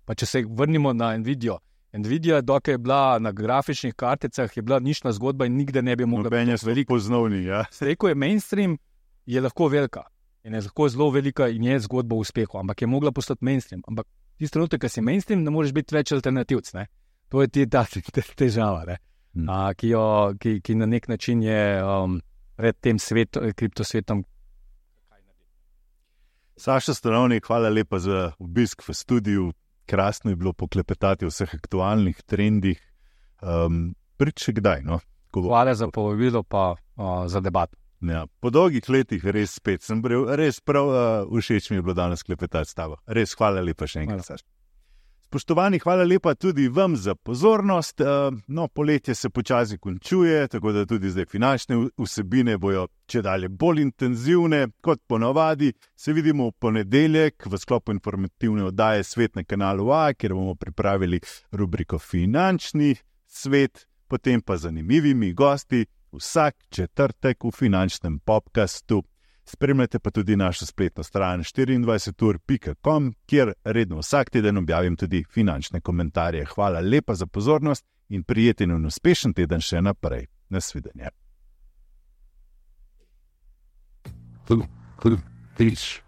Pa če se vrnimo na Nvidio. Nvidia, dokaj je bila na grafičnih karticah, je bila nična zgodba in nikde ne bi mogla biti veliko poznavni. Ja. Rekel je mainstream, je lahko velika in je lahko zelo velika in je zgodba o uspehu, ampak je mogla postati mainstream. Ampak tisti trenutek, ko si mainstream, ne moreš biti več alternativc. Ne? To je ti ta težava, ne? Hmm. A, ki, jo, ki, ki na nek način je um, pred tem svet, kriptosvetom. Saša Stanovnik, hvala lepa za obisk v studiu. Krasno je bilo poklepetati o vseh aktualnih trendih. Um, Prič še kdaj? No? Hvala za povabilo pa uh, za debato. Ja, po dolgih letih res spet sem bril, res prav uh, všeč mi je bilo danes klepetati s tabo. Res hvala lepa še enkrat, Saša. Spoštovani, hvala lepa tudi vam za pozornost. Uh, no, poletje se počasi končuje, tako da tudi zdaj finančne vsebine bojo čedalje bolj intenzivne. Kot ponavadi se vidimo v ponedeljek v sklopu informativne oddaje Svet na kanalu A, kjer bomo pripravili rubriko Finančni svet, potem pa zanimivimi gosti vsak četrtek v finančnem podcastu. Spremljate pa tudi našo spletno stran štiriindvajset ur pika com, kjer redno vsak teden objavim tudi finančne komentarje. Hvala lepa za pozornost in prijeten in uspešen teden še naprej. Nasvidenje. Peace.